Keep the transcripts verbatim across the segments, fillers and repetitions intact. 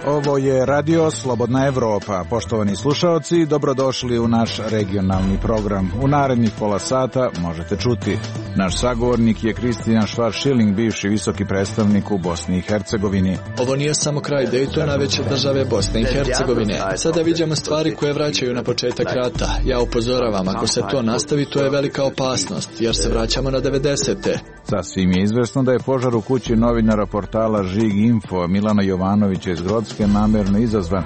Ovo je Radio Slobodna Evropa. Poštovani slušaoci, dobrodošli u naš regionalni program. U narednih pola sata možete čuti. Naš sagovornik je Kristijan Schwarz-Schilling, bivši visoki predstavnik u Bosni i Hercegovini. Ovo nije samo kraj Daytona, već države Bosne i Hercegovine. Sada vidimo stvari koje vraćaju na početak rata. Ja upozoravam, ako se to nastavi, to je velika opasnost, jer se vraćamo na devedesete. Sasvim je izvesno da je požar u kući novinara portala Žig Info Milana Jovanovića iz Grocke namerno izazvan,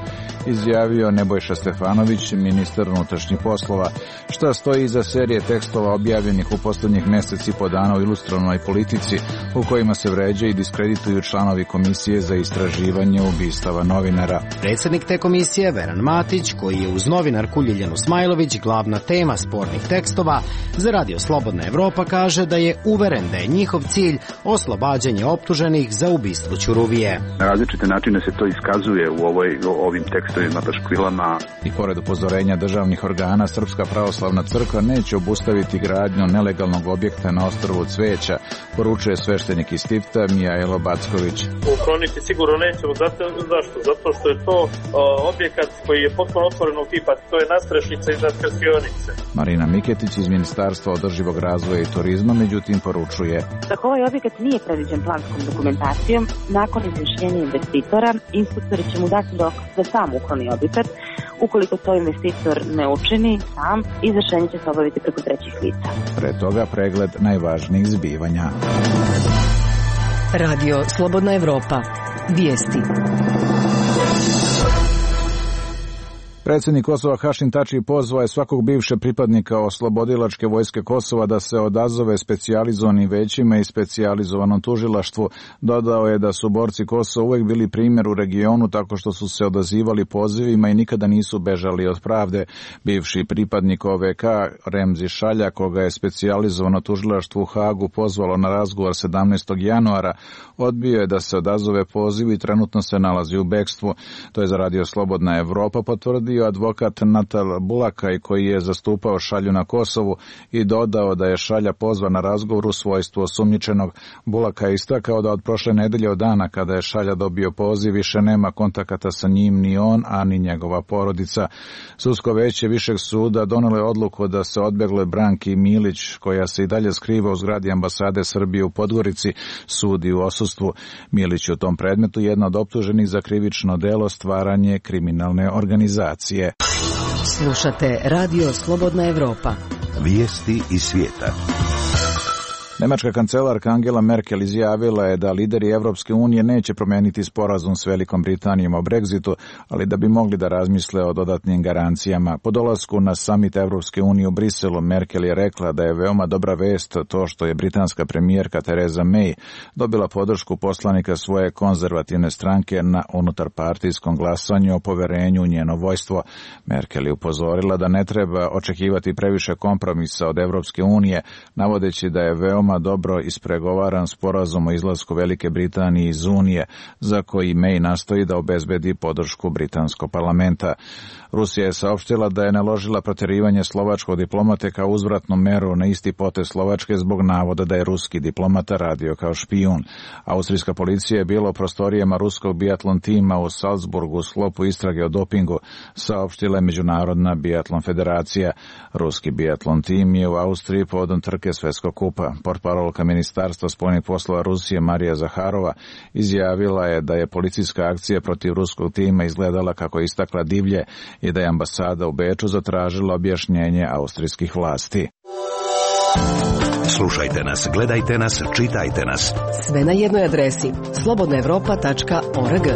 izjavio Nebojša Stefanović, ministar unutrašnjih poslova. Šta stoji iza serije tekstova objavljenih u poslednjih meseci po dana u Ilustrovnoj politici, u kojima se vređa i diskredituju članovi komisije za istraživanje ubistava novinara. Predsjednik te komisije, Veran Matić, koji je uz novinarku Ljiljanu Smajlović glavna tema spornih tekstova, za Radio Slobodna Evropa kaže da je uveren da je njihov cilj oslobađanje optuženih za ubistvo Ćuruvije. Na različite načine se to iskazuje u ovoj, ovim tekstovima, paškvilama. I pored upozorenja državnih organa, Srpska pravoslavna crkva neće obustaviti gradnju nelegalnog objekta na ostrvu Cveća, poručuje sveštenik iz Tifta Mijajlo Backović. Ukloniti sigurno nećemo, zato, zašto? Zato što je to o, objekat koji je potpuno otvorenog tipa, to je nastrešnica iznad krstionice. Marina Miketić iz Ministarstva održivog razvoja i turizma, međutim, poručuje. Tako ovaj objekat nije predviđen planskom dokumentacijom, nakon izmišljenja investitora, inspektori će mu dati rok da sam ukloni objekat. Ukoliko to investitor ne učini sam, izvršenje će se obaviti preko trećih lica. Pre toga pregled najvažnijih zbivanja. Radio Slobodna Evropa. Vijesti. Predsjednik Kosova Hašim Tači pozvao je svakog bivšeg pripadnika oslobodilačke vojske Kosova da se odazove specijalizovanim većima i specijalizovanom tužilaštvu. Dodao je da su borci Kosova uvek bili primjer u regionu tako što su se odazivali pozivima i nikada nisu bežali od pravde. Bivši pripadnik O V K Remzi Šalja, koga je specijalizovano tužilaštvo u Hagu pozvalo na razgovor sedamnaestog januara, odbio je da se odazove pozivu i trenutno se nalazi u bekstvu. To je za Radio Slobodna Evropa potvrdio advokat Natal Bulakaj, koji je zastupao Šalju na Kosovu i dodao da je Šalja pozvan na razgovor u svojstvu osumnjičenog. Bulakaj je istakao da od prošle nedelje od dana kada je Šalja dobio poziv više nema kontakata sa njim ni on, a ni njegova porodica. Sudsko veće Višeg suda donelo je odluku da se odbegloj Branki Milić, koja se i dalje skriva u zgradi ambasade Srbije u Podgorici, sudi u odsustvu. Milić u tom predmetu jedna od optuženih za krivično delo stvaranje kriminalne organizacije. Slušate Radio Slobodna Evropa. Vijesti iz svijeta. Nemačka kancelarka Angela Merkel izjavila je da lideri Evropske unije neće promeniti sporazum s Velikom Britanijom o Brexitu, ali da bi mogli da razmisle o dodatnim garancijama. Po dolasku na samit Evropske unije u Briselu, Merkel je rekla da je veoma dobra vest to što je britanska premijerka Theresa May dobila podršku poslanika svoje konzervativne stranke na unutarpartijskom glasanju o poverenju u njeno vojstvo. Merkel je upozorila da ne treba očekivati previše kompromisa od Evropske unije, navodeći da je veoma dobro ispregovaran sporazum o izlasku Velike Britanije iz Unije, za koji May nastoji da obezbedi podršku britanskog parlamenta. Rusija je saopštila da je naložila proterivanje slovačkog diplomate kao uzvratnu meru na isti potez Slovačke zbog navoda da je ruski diplomata radio kao špijun. Austrijska policija je bila u prostorijama ruskog biatlon tima u Salzburgu u sklopu istrage o dopingu, saopštila je Međunarodna biatlon federacija. Ruski biatlon tim je u Austriji povodom trke Svetskog kupa. Portparolka Ministarstva spoljnih poslova Rusije Marija Zaharova izjavila je da je policijska akcija protiv ruskog tima izgledala kako je istakla divlje i da je ambasada u Beču zatražila objašnjenje austrijskih vlasti. Slušajte nas, gledajte nas, čitajte nas. Sve na jednoj adresi slobodna evropa tačka org.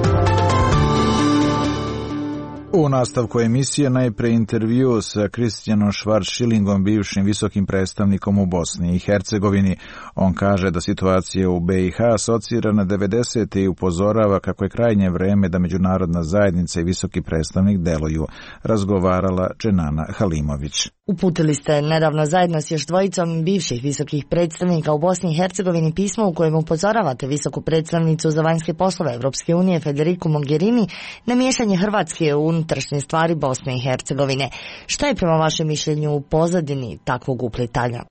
U nastavku emisije najpre intervju sa Kristijanom Schwarz-Schillingom, bivšim visokim predstavnikom u Bosni i Hercegovini. On kaže da situacija u B i H asocira na devedesete i upozorava kako je krajnje vreme da međunarodna zajednica i visoki predstavnik deluju. Razgovarala Dženana Halimović. Uputili ste nedavno zajedno s još dvojicom bivših visokih predstavnika u Bosni i Hercegovini pismo u kojem upozoravate visoku predstavnicu za vanjske poslove Evropske unije Federiku Mogherini na miješanje Hrvatske u unutrašnje stvari Bosne i Hercegovine. Šta je prema vašem mišljenju u pozadini takvog uplitanja?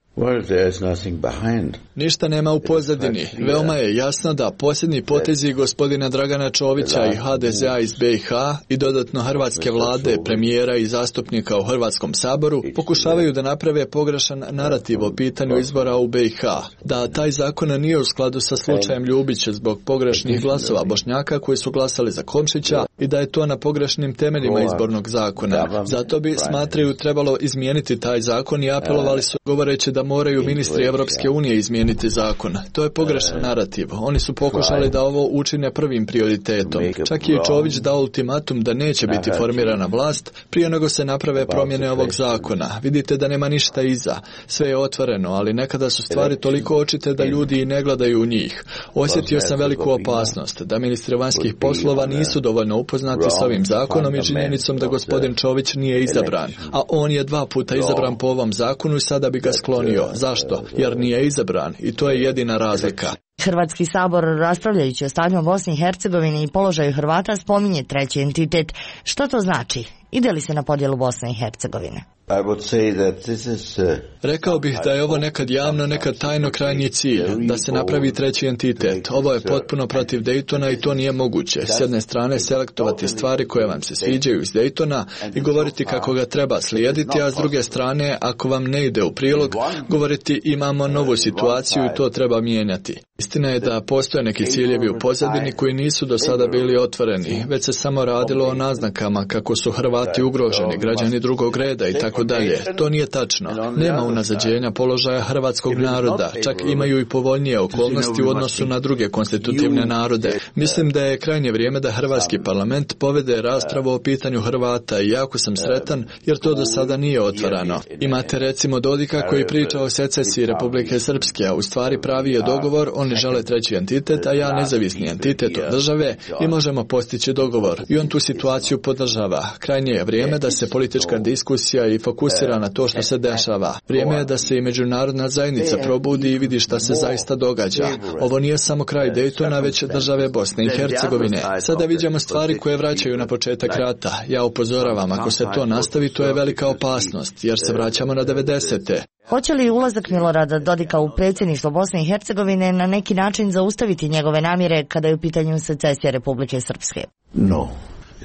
Ništa nema u pozadini. Veoma je jasno da posljednji potezi gospodina Dragana Čovića i ha de ze a iz be i ha i dodatno hrvatske vlade, premijera i zastupnika u Hrvatskom saboru pokušavaju da naprave pogrešan narativ o pitanju izbora u be i ha. Da taj zakon nije u skladu sa slučajem Ljubić zbog pogrešnih glasova Bošnjaka koji su glasali za Komšića i da je to na pogrešnim temeljima izbornog zakona. Zato bi, smatraju, trebalo izmijeniti taj zakon i apelovali su govoreći da moraju ministri Evropske unije izmijeniti zakon. To je pogrešan narativ. Oni su pokušali da ovo učine prvim prioritetom. Čak je i Čović dao ultimatum da neće biti formirana vlast prije nego se naprave promjene ovog zakona. Vidite da nema ništa iza. Sve je otvoreno, ali nekada su stvari toliko očite da ljudi i ne gledaju u njih. Osjetio sam veliku opasnost da ministri vanjskih poslova nisu dovoljno upoznati s ovim zakonom i činjenicom da gospodin Čović nije izabran. A on je dva puta izabran po ovom zakonu i sada bi ga sklonio. Zašto? Jer nije izabran i to je jedina razlika. Hrvatski sabor, raspravljajući o stanju u Bosni i Hercegovini i položaju Hrvata, spominje treći entitet. Što to znači? Ide li se na podjelu Bosne i Hercegovine? Rekao bih da je ovo nekad javno, nekad tajno krajnji cilj, da se napravi treći entitet. Ovo je potpuno protiv Daytona i to nije moguće. S jedne strane selektovati stvari koje vam se sviđaju iz Daytona i govoriti kako ga treba slijediti, a s druge strane, ako vam ne ide u prilog, govoriti imamo novu situaciju i to treba mijenjati. Istina je da postoje neki ciljevi u pozadini koji nisu do sada bili otvoreni, već se samo radilo o naznakama kako su Hrvati ugroženi, građani drugog reda i tako dalje. To nije tačno. Nema unazađenja položaja hrvatskog naroda, čak imaju i povoljnije okolnosti u odnosu na druge konstitutivne narode. Mislim da je krajnje vrijeme da hrvatski parlament povede raspravu o pitanju Hrvata i jako sam sretan jer to do sada nije otvarano. Imate recimo Dodika koji priča o secesiji Republike Srpske, a u stvari pravi je dogovor, oni žele treći entitet, a ja nezavisni entitet od države i možemo postići dogovor. I on tu situaciju podržava. Krajnje je vrijeme da se politička diskusija i fokusira na to što se dešava. Vrijeme je da se i međunarodna zajednica probudi i vidi šta se zaista događa. Ovo nije samo kraj Daytona, već države Bosne i Hercegovine. Sada vidimo stvari koje vraćaju na početak rata. Ja upozoravam, ako se to nastavi, to je velika opasnost, jer se vraćamo na devedesete. Hoće li ulazak Milorada Dodika u predsjedništvo Bosne i Hercegovine na neki način zaustaviti njegove namjere kada je u pitanju secesija Republike Srpske? No.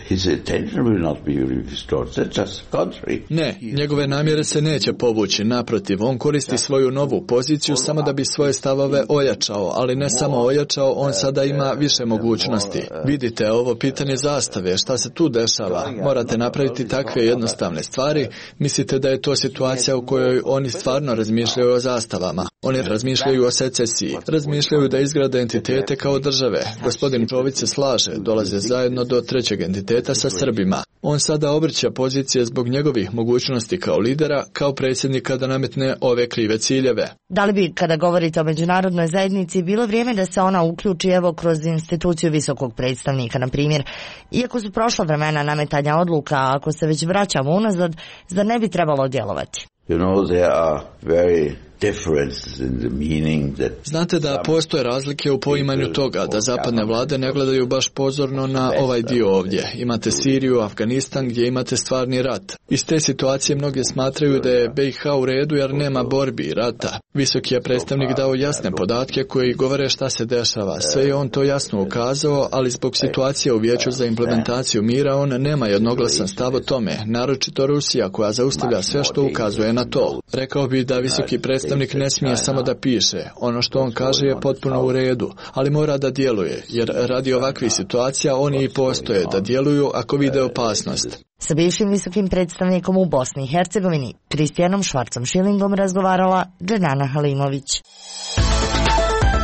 His attention will not be restored. That's just contrary. Ne, njegove namjere se neće povući. Naprotiv, on koristi svoju novu poziciju samo da bi svoje stavove ojačao, ali ne samo ojačao, on sada ima više mogućnosti. Vidite, ovo pitanje zastave, šta se tu dešava? Morate napraviti takve jednostavne stvari. Mislite da je to situacija u kojoj oni stvarno razmišljaju o zastavama? Oni razmišljaju o secesiji. Razmišljaju da izgrade entitete kao države. Gospodin Čović se slaže, dolaze zajedno do trećeg entiteta sa Srbima. On sada obrća pozicije zbog njegovih mogućnosti kao lidera, kao predsjednika da nametne ove krive ciljeve. Da li bi, kada govorite o međunarodnoj zajednici, bilo vrijeme da se ona uključi evo kroz instituciju visokog predstavnika, na primjer? Iako su prošla vremena nametanja odluka, ako se već vraćamo unazad, zar ne bi trebalo djelovati? You know, there are very differences in the meaning that... Znate da postoje razlike u poimanju toga, da zapadne vlade ne gledaju baš pozorno na ovaj dio ovdje. Imate Siriju, Afganistan gdje imate stvarni rat. Iz te situacije mnoge smatraju da je be i ha u redu jer nema borbi i rata. Visoki je predstavnik dao jasne podatke koji govore šta se dešava. Sve je on to jasno ukazao, ali zbog situacije u Vijeću za implementaciju mira on nema jednoglasan stav o tome, naročito Rusija koja zaustavlja sve što ukazuje na to. Rekao bi da visoki predstavnik Predstavnik ne smije samo da piše. Ono što on kaže je potpuno u redu, ali mora da djeluje, jer radi ovakvih situacija oni i postoje da djeluju ako vide opasnost. Sa bivšim visokim predstavnikom u Bosni i Hercegovini, Kristijanom Švarcom Šilingom, razgovarala Dženana Halimović.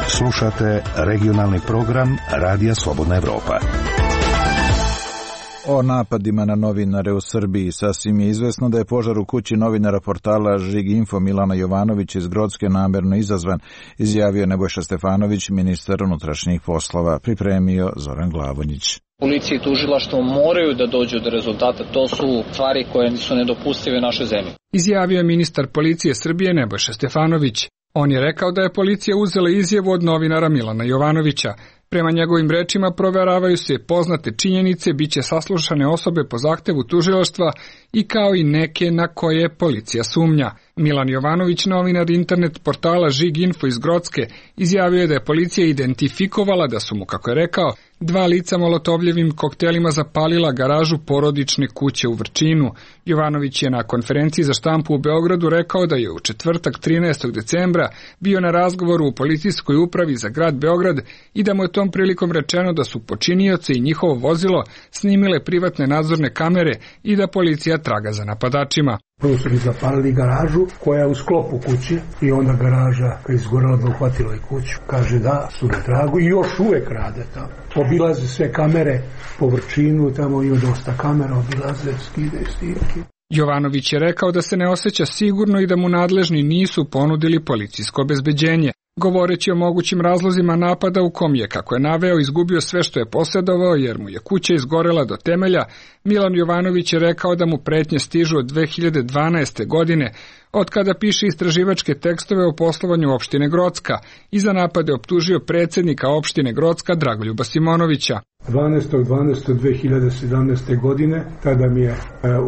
Slušate regionalni program Radija Slobodna Evropa. O napadima na novinare u Srbiji sasvim je izvesno da je požar u kući novinara portala Žig Info Milana Jovanovića iz Grocke namerno izazvan, izjavio Nebojša Stefanović, ministar unutrašnjih poslova, pripremio Zoran Glavonjić. Policija i tužilaštvo moraju da dođu do rezultata, to su stvari koje su nedopustive u našoj zemlji. Izjavio je ministar policije Srbije Nebojša Stefanović. On je rekao da je policija uzela izjavu od novinara Milana Jovanovića. Prema njegovim rečima proveravaju se poznate činjenice, bit će saslušane osobe po zahtevu tužilaštva i kao i neke na koje policija sumnja. Milan Jovanović, novinar internet portala Žig Info iz Grocke, izjavio je da je policija identifikovala da su mu, kako je rekao, dva lica molotovljevim koktelima zapalila garažu porodične kuće u Vrčinu. Jovanović je na konferenciji za štampu u Beogradu rekao da je u četvrtak trinaestog decembra bio na razgovoru u policijskoj upravi za grad Beograd i da mu je tom prilikom rečeno da su počinioci i njihovo vozilo snimile privatne nadzorne kamere i da policija traga za napadačima. Prvo su mi zapalili garažu koja je u sklopu kuće i onda garaža kad je izgorela da uhvatila i kuću. Kaže da su na tragu i još uvek rade tamo. Obilaze sve kamere po Vrčinu, tamo ima dosta kamera, obilaze, skide snimke. Jovanović je rekao da se ne osjeća sigurno i da mu nadležni nisu ponudili policijsko obezbeđenje. Govoreći o mogućim razlozima napada u kom je, kako je naveo, izgubio sve što je posjedovao jer mu je kuća izgorela do temelja, Milan Jovanović je rekao da mu pretnje stižu od dve hiljade dvanaeste. godine, od kada piše istraživačke tekstove o poslovanju opštine Grocka i za napade optužio predsjednika opštine Grocka Dragoljuba Simonovića. dvanaestog dvanaestog dve hiljade sedamnaeste. godine, tada mi je e,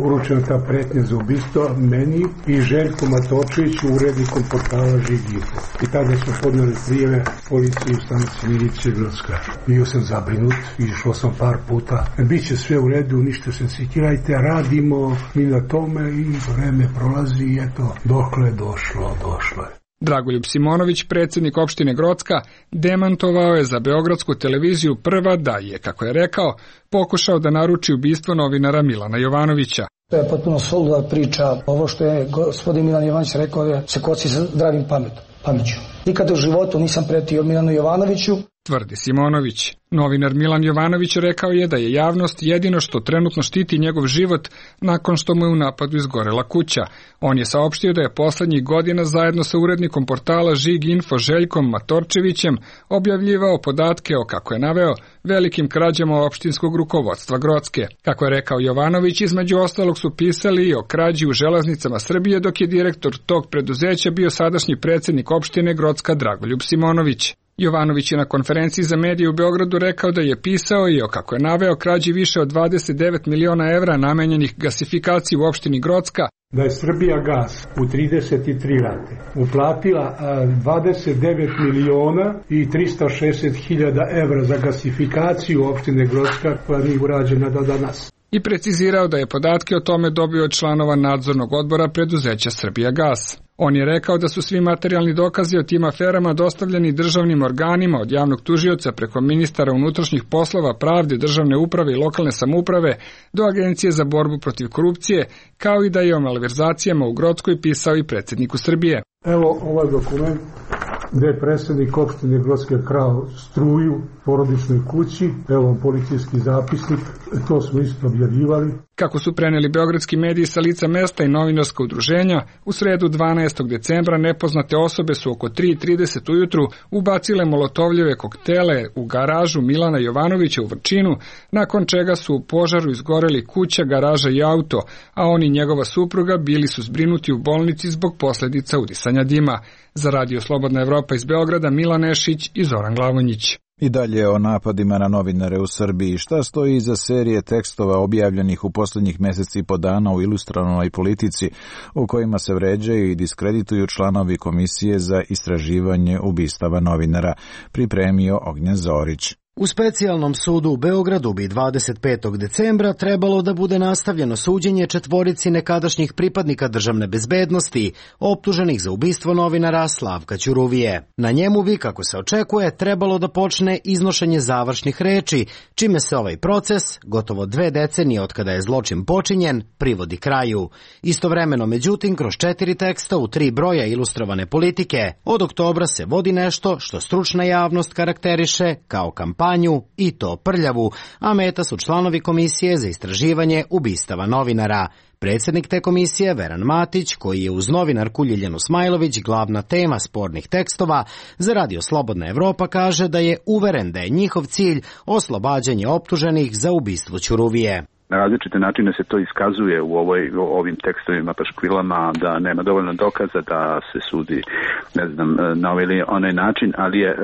uručena ta pretnja za ubistvo meni i Željku Matočeviću, urednikom portala Žig Info. I tada smo podneli prijeve policiji u stanici milicije Grocka. Bio sam zabrinut, išao sam par puta. Biće sve u redu, ništa se sikirajte, radimo mi na tome i vreme prolazi i eto, dokle je došlo, došlo je. Dragoljub Simonović, predsjednik opštine Grocka, demantovao je za beogradsku televiziju Prva da je, kako je rekao, pokušao da naruči ubistvo novinara Milana Jovanovića. To je potpuno suluda priča. Ovo što je gospodin Milan Jovanović rekao je se kosi sa zdravim pametom, pameću. Nikada u životu nisam pretio Milanu Jovanoviću, tvrdi Simonović. Novinar Milan Jovanović rekao je da je javnost jedino što trenutno štiti njegov život nakon što mu je u napadu izgorela kuća. On je saopštio da je poslednjih godina zajedno sa urednikom portala Žig Info Željkom Matorčevićem objavljivao podatke o, kako je naveo, velikim krađama opštinskog rukovodstva Grocke. Kako je rekao Jovanović, između ostalog su pisali i o krađi u železnicama Srbije, dok je direktor tog preduzeća bio sadašnji predsjednik opštine Grocka Dragoljub Simonović. Jovanović je na konferenciji za medije u Beogradu rekao da je pisao i o, kako je naveo, krađi više od dvadeset devet miliona evra namenjenih gasifikaciji u opštini Grocka. Da je Srbija gas u trideset tri rate uplatila dvadeset devet miliona i trista šezdeset hiljada evra za gasifikaciju opštine Grocka koja nije urađena do danas. I precizirao da je podatke o tome dobio od članova nadzornog odbora preduzeća Srbija gas. On je rekao da su svi materijalni dokazi o tim aferama dostavljeni državnim organima od javnog tužioca preko ministara unutrašnjih poslova, pravde, državne uprave i lokalne samouprave do Agencije za borbu protiv korupcije, kao i da je o malverzacijama u Grockoj pisao i predsjedniku Srbije. Evo ovaj dokument gde je predsjednik opštine Grocke krao struju porodičnoj kući, evo policijski zapisnik, to smo isto objavljivali. Kako su preneli beogradski mediji sa lica mesta i novinarska udruženja, u sredu dvanaestog decembra nepoznate osobe su oko tri i trideset ujutru ubacile molotovljeve koktele u garažu Milana Jovanovića u Vrčinu, nakon čega su u požaru izgoreli kuća, garaža i auto, a on i njegova supruga bili su zbrinuti u bolnici zbog posljedica udisanja dima. Za Radio Slobodna Evropa iz Beograda, Milan Nešić i Zoran Glavonjić. I dalje o napadima na novinare u Srbiji. Šta stoji iza serije tekstova objavljenih u posljednjih mjeseci i po dana u Ilustranoj politici, u kojima se vređaju i diskredituju članovi Komisije za istraživanje ubistava novinara, pripremio Ognjen Zorić. U specijalnom sudu u Beogradu bi dvadeset petog decembra trebalo da bude nastavljeno suđenje četvorici nekadašnjih pripadnika državne bezbednosti, optuženih za ubistvo novinara Slavka Ćuruvije. Na njemu bi, kako se očekuje, trebalo da počne iznošenje završnih reči, čime se ovaj proces, gotovo dve decenije od kada je zločin počinjen, privodi kraju. Istovremeno, međutim, kroz četiri teksta u tri broja ilustrovane politike, od oktobra se vodi nešto što stručna javnost karakteriše kao kampanju, i to prljavu, a meta su članovi Komisije za istraživanje ubistava novinara. Predsjednik te komisije, Veran Matić, koji je uz novinarku Ljiljanu Smajlović glavna tema spornih tekstova, za Radio Slobodna Evropa kaže da je uveren da je njihov cilj oslobađanje optuženih za ubistvo Ćuruvije. Na različite načine se to iskazuje u ovoj, u ovim tekstovima, paškvilama, da nema dovoljno dokaza da se sudi, ne znam, na ovaj ili onaj način, ali je e,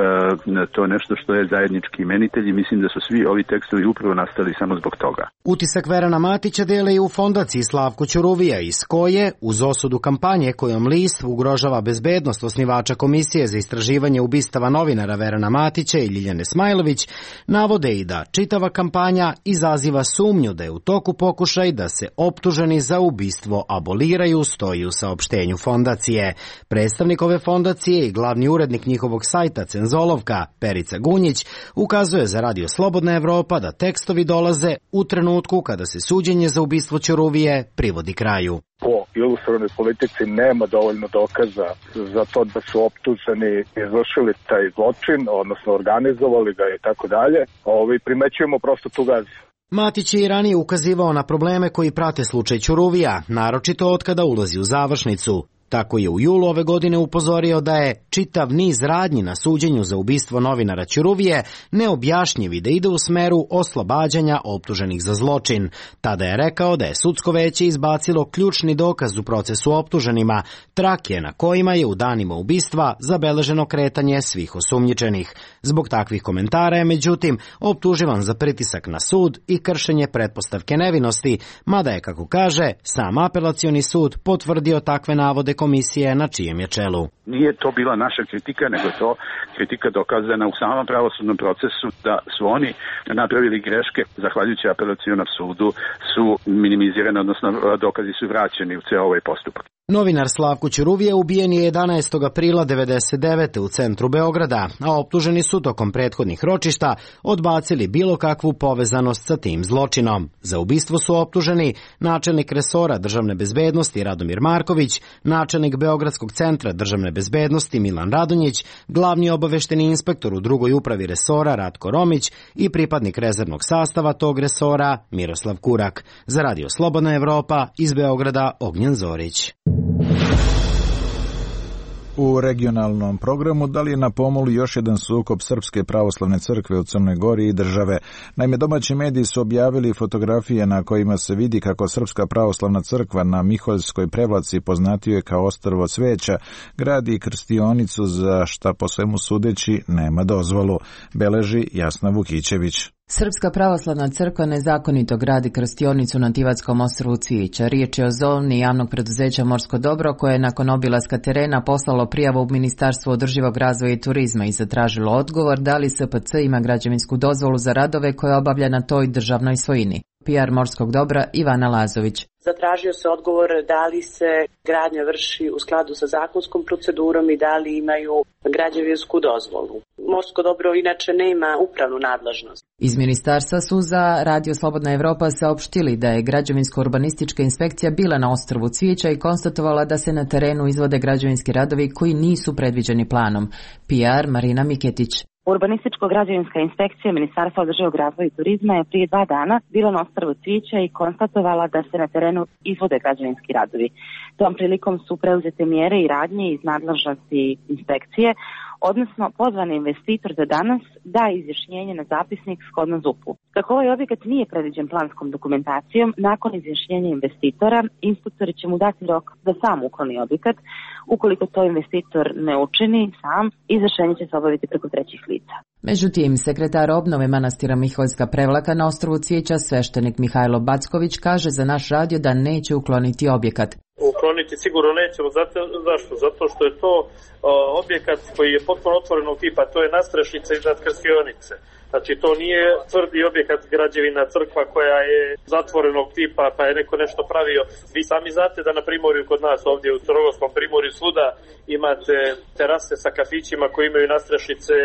to nešto što je zajednički imenitelj i mislim da su svi ovi tekstovi upravo nastali samo zbog toga. Utisak Verana Matića dele i u fondaciji Slavko Ćuruvija, iz koje, uz osudu kampanje kojom list ugrožava bezbednost osnivača Komisije za istraživanje ubistava novinara Verana Matića i Ljiljane Smajlović, navode i da čitava kampanja izaziva sumnju da je u toku pokušaj da se optuženi za ubistvo aboliraju, stoji u saopštenju fondacije. Predstavnik ove fondacije i glavni urednik njihovog sajta Cenzolovka, Perica Gunjić, ukazuje za Radio Slobodna Evropa da tekstovi dolaze u trenutku kada se suđenje za ubistvo Ćuruvije privodi kraju. Po ilustrovnoj politici nema dovoljno dokaza za to da su optuženi izvršili taj zločin, odnosno organizovali ga i tako dalje. Ovi primećujemo prosto tu gazu. Matić je i ranije ukazivao na probleme koji prate slučaj Ćuruvija, naročito od kada ulazi u završnicu. Tako je u julu ove godine upozorio da je čitav niz radnji na suđenju za ubistvo novinara Ćuruvije neobjašnjiv i da ide u smeru oslobađanja optuženih za zločin. Tada je rekao da je sudsko veće izbacilo ključni dokaz u procesu optuženima, trake na kojima je u danima ubistva zabeleženo kretanje svih osumnjičenih. Zbog takvih komentara je, međutim, optuživan za pritisak na sud i kršenje pretpostavke nevinosti, mada je, kako kaže, sam apelacioni sud potvrdio takve navode komisije na čijem je čelu. Nije to bila naša kritika, nego je to kritika dokazana u samom pravosudnom procesu da su oni napravili greške, zahvaljujući apelacionom sudu su minimizirane, odnosno dokazi su vraćeni u ceo ovaj postupak. Novinar Slavko Ćuruvija ubijen je jedanaestog aprila devedeset devete. u centru Beograda, a optuženi su tokom prethodnih ročišta odbacili bilo kakvu povezanost sa tim zločinom. Za ubistvo su optuženi načelnik resora državne bezbednosti Radomir Marković, načelnik Beogradskog centra državne bezbednosti Milan Radonjić, glavni obavešteni inspektor u drugoj upravi resora Ratko Romić i pripadnik rezervnog sastava tog resora Miroslav Kurak. Za Radio Slobodna Evropa, iz Beograda Ognjen Zorić. U regionalnom programu da li je na pomolu još jedan sukob Srpske pravoslavne crkve u Crnoj Gori i države. Naime, domaći mediji su objavili fotografije na kojima se vidi kako Srpska pravoslavna crkva na Miholjskoj prevlaci, poznatije kao Ostrvo cveća, gradi krstionicu za šta po svemu sudeći nema dozvolu, beleži Jasna Vukićević. Srpska pravoslavna crkva nezakonito gradi krstionicu na Tivatskom ostrvu Cvijića. Riječ je o zoni javnog preduzeća Morsko dobro koje je nakon obilaska terena poslalo prijavu u Ministarstvo održivog razvoja i turizma i zatražilo odgovor da li S P C ima građevinsku dozvolu za radove koje obavlja na toj državnoj svojini. P R Morskog dobra Ivana Lazović. Zatražio se odgovor da li se gradnja vrši u skladu sa zakonskom procedurom i da li imaju građevinsku dozvolu. Morsko dobro inače nema upravnu nadležnost. Iz ministarstva su za Radio Slobodna Evropa saopštili da je građevinsko-urbanistička inspekcija bila na ostrvu Cvijeća i konstatovala da se na terenu izvode građevinski radovi koji nisu predviđeni planom. P R Marina Miketić. Urbanističko-građevinska inspekcija Ministarstva održivog razvoja i turizma je prije dva dana bila na ostrvu Cvijeća i konstatovala da se na terenu izvode građevinski radovi. Tom prilikom su preuzete mjere i radnje iz nadležnosti inspekcije, odnosno pozvan investitor za danas da izjašnjenje na zapisnik shodno Z U P-u. Kako ovaj objekat nije predviđen planskom dokumentacijom, nakon izjašnjenja investitora, inspektori će mu dati rok da sam ukloni objekat. Ukoliko to investitor ne učini sam, izjašnjenje će se obaviti preko trećih lica. Međutim, sekretar obnove manastira Miholjska Prevlaka na ostrvu Cvijeća, sveštenik Mihajlo Backović, kaže za naš radio da neće ukloniti objekat. Ukloniti sigurno nećemo. Zato, zašto? Zato što je to o, objekat koji je potpuno otvorenog tipa, to je nastrešnica iznad krstionice. Znači to nije tvrdi objekat građevina crkva koja je zatvorenog tipa pa je neko nešto pravio. Vi sami znate da na primorju kod nas ovdje u Crnogorskom primorju svuda imate terase sa kafićima koji imaju nastrešnice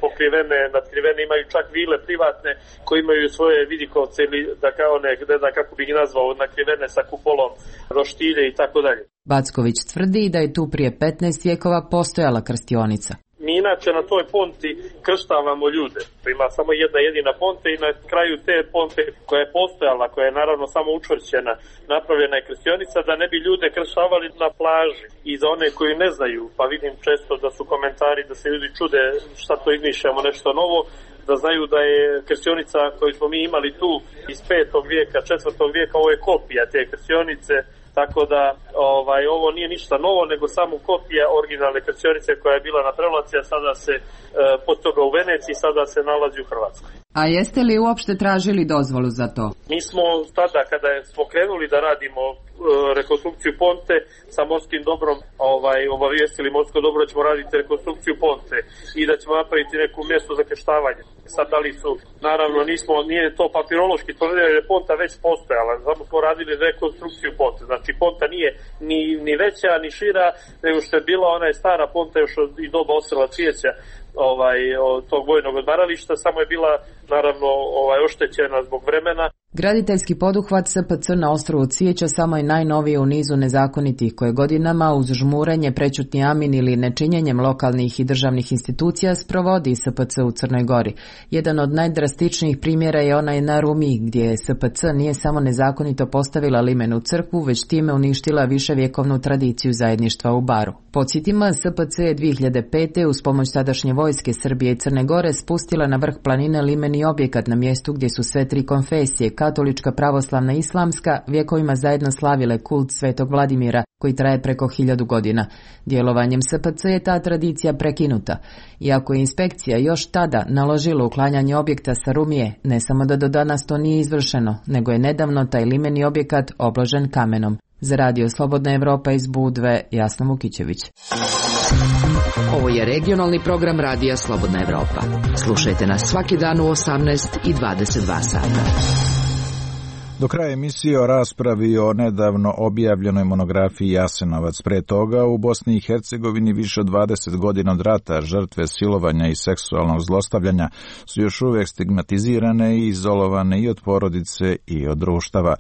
pokrivene, nadkrivene, imaju čak vile privatne koji imaju svoje vidikovce ili da kao ne, ne znam kako bih ih nazvao, nakrivene sa kupolom, roštilje i tako dalje. Backović tvrdi da je tu prije petnaest vjekova postojala krstionica. Mi inače na toj ponti krštavamo ljude. Ima samo jedna jedina ponta i na kraju te ponte koja je postojala, koja je naravno samo učvršćena, napravljena je krstionica da ne bi ljude krštavali na plaži. I za one koji ne znaju, pa vidim često da su komentari da se ljudi čude šta to izmišljamo nešto novo, da znaju da je krstionica koju smo mi imali tu iz petog vijeka, četvrtog vijeka, ovo je kopija te krstionice, tako da ovaj, ovo nije ništa novo, nego samo kopija originalne krstionice koja je bila na Prevlaci, a sada se e, pod toga u Veneciji, sada se nalazi u Hrvatskoj. A jeste li uopšte tražili dozvolu za to? Mi smo tada, kada smo krenuli da radimo e, rekonstrukciju Ponte sa morskim dobrom, ovaj, obavijestili morsko dobro da ćemo raditi rekonstrukciju Ponte i da ćemo napraviti neko mjesto za krštavanje. Sad da li su, naravno nismo, nije to papirološki tvrdili jer je Ponta već postojala, samo smo radili rekonstrukciju Ponte. Znači Ponta nije ni, ni veća, ni šira, nego što je bila, ona je stara Ponta još od i doba Osela Cvijeća, ovaj, od tog vojnog odmarališta, samo je bila naravno ovaj, oštećena zbog vremena. Graditeljski poduhvat S P C na ostrvu Cvijeća samo je najnoviji u nizu nezakonitih koje godinama uz žmurenje, prećutni amin ili nečinjenjem lokalnih i državnih institucija sprovodi S P C u Crnoj Gori. Jedan od najdrastičnijih primjera je onaj na Rumiji gdje je S P C nije samo nezakonito postavila limenu crkvu, već time uništila viševjekovnu tradiciju zajedništva u Baru. Podsjetimo, S P C je dvije hiljade pete uz pomoć tadašnje vojske Srbije i Crne Gore spustila na vrh planine limeni objekat na mjestu gdje su sve tri konfesije, katolička, pravoslavna i islamska, vjekovima zajedno slavile kult Svetog Vladimira, koji traje preko hiljadu godina. Djelovanjem S P C je ta tradicija prekinuta. Iako je inspekcija još tada naložila uklanjanje objekta sa Rumije, ne samo da do danas to nije izvršeno, nego je nedavno taj limeni objekat obložen kamenom. Za Radio Slobodna Evropa iz Budve, Jasna Vukićević. Ovo je regionalni program Radija Slobodna Evropa. Slušajte nas svaki dan u osamnaest i dvadeset dva sata. Do kraja emisije o raspravi o nedavno objavljenoj monografiji Jasenovac. Pre toga u Bosni i Hercegovini više od dvadeset godina od rata žrtve silovanja i seksualnog zlostavljanja su još uvijek stigmatizirane i izolovane i od porodice i od društava.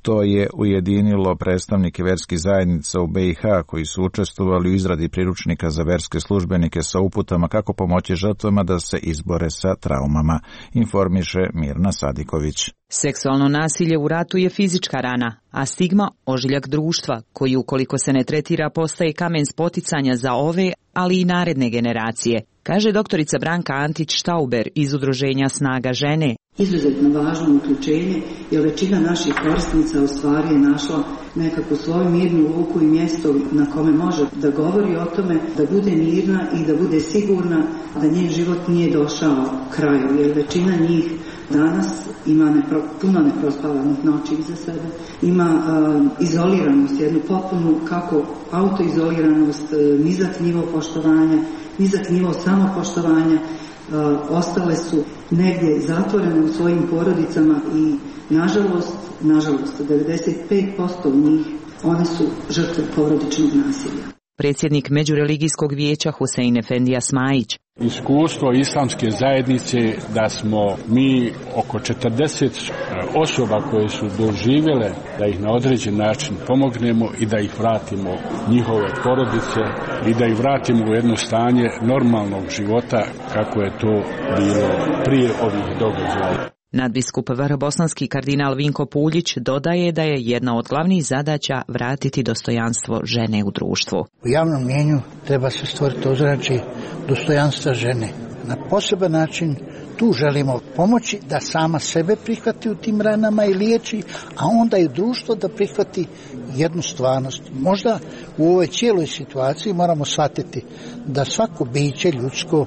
To je ujedinilo predstavnike verskih zajednica u B i H koji su učestvovali u izradi priručnika za verske službenike sa uputama kako pomoći žrtvama da se izbore sa traumama, informiše Mirna Sadiković. Seksualno nasilje u ratu je fizička rana, a stigma ožiljak društva, koji ukoliko se ne tretira postaje kamen spoticanja za ove, ali i naredne generacije, kaže doktorica Branka Antić-Štauber iz udruženja Snaga žene. Izuzetno važno uključenje, jer većina naših korisnica u stvari je našla nekako svoju mirnu luku i mjesto na kome može da govori o tome, da bude mirna i da bude sigurna da njen život nije došao kraju, jer većina njih danas ima nepro, puno neprospavanih noći iza sebe, ima uh, izoliranost, jednu potpunu kako autoizoliranost, uh, nizak nivo poštovanja, nizak nivo samopoštovanja, uh, ostale su negdje zatvorene u svojim porodicama i nažalost, nažalost, devedeset pet posto njih one su žrtve porodičnog nasilja. Predsjednik Međureligijskog vijeća Husein Efendija Smajić. Iskustvo islamske zajednice da smo mi oko četrdeset osoba koje su doživjele da ih na određen način pomognemo i da ih vratimo njihove porodice i da ih vratimo u jedno stanje normalnog života kako je to bilo prije ovih događaja. Nadbiskup vrhobosanski kardinal Vinko Puljić dodaje da je jedna od glavnih zadaća vratiti dostojanstvo žene u društvu. U javnom mjenju treba se stvoriti ozračje dostojanstva žene. Na poseban način tu želimo pomoći da sama sebe prihvati u tim ranama i liječi, a onda i društvo da prihvati jednu stvarnost. Možda u ovoj cijeloj situaciji moramo shvatiti da svako biće ljudsko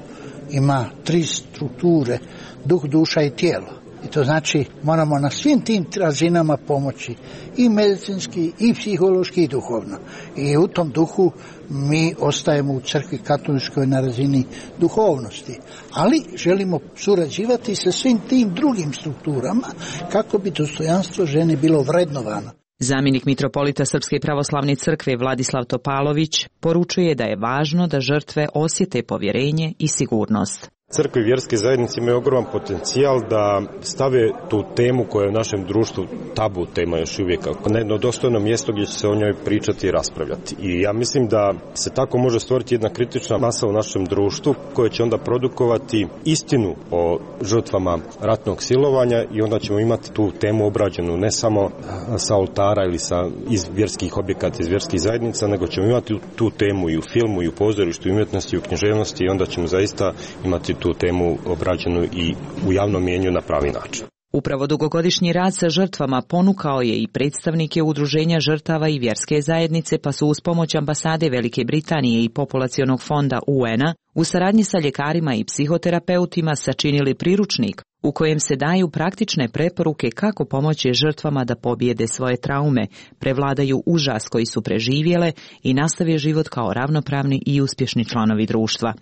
ima tri strukture, duh, duša i tijelo. I to znači moramo na svim tim razinama pomoći, i medicinski, i psihološki, i duhovno. I u tom duhu mi ostajemo u crkvi katoličkoj na razini duhovnosti. Ali želimo surađivati sa svim tim drugim strukturama kako bi dostojanstvo žene bilo vrednovano. Zamjenik mitropolita Srpske pravoslavne crkve Vladislav Topalović poručuje da je važno da žrtve osjete povjerenje i sigurnost. Crkve i vjerske zajednice imaju ogroman potencijal da stave tu temu koja je u našem društvu tabu tema još uvijek na jedno dostojno mjesto gdje će se o njoj pričati i raspravljati. I ja mislim da se tako može stvoriti jedna kritična masa u našem društvu koja će onda produkovati istinu o žrtvama ratnog silovanja i onda ćemo imati tu temu obrađenu ne samo sa oltara ili sa iz vjerskih objekata, iz vjerskih zajednica, nego ćemo imati tu temu i u filmu, i u pozorištu, i u umjetnosti, i u književnosti i onda ćemo zaista imati tu temu obrađenu i u javnom mjenju na pravi način. Upravo dugogodišnji rad sa žrtvama ponukao je i predstavnike udruženja žrtava i vjerske zajednice, pa su uz pomoć ambasade Velike Britanije i populacionog fonda U N-a u saradnji sa ljekarima i psihoterapeutima sačinili priručnik u kojem se daju praktične preporuke kako pomoći žrtvama da pobijede svoje traume, prevladaju užas koji su preživjele i nastave život kao ravnopravni i uspješni članovi društva.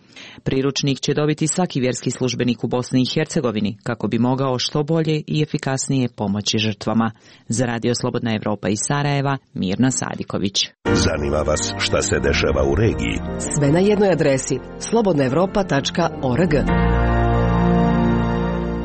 Priručnik će dobiti svaki vjerski službenik u Bosni i Hercegovini kako bi mogao što bolje i efikasnije pomoći žrtvama. Za Radio Slobodna Evropa iz Sarajeva, Mirna Sadiković. Zanima vas šta se dešava u regiji? Sve na jednoj adresi slobodna evropa tačka org.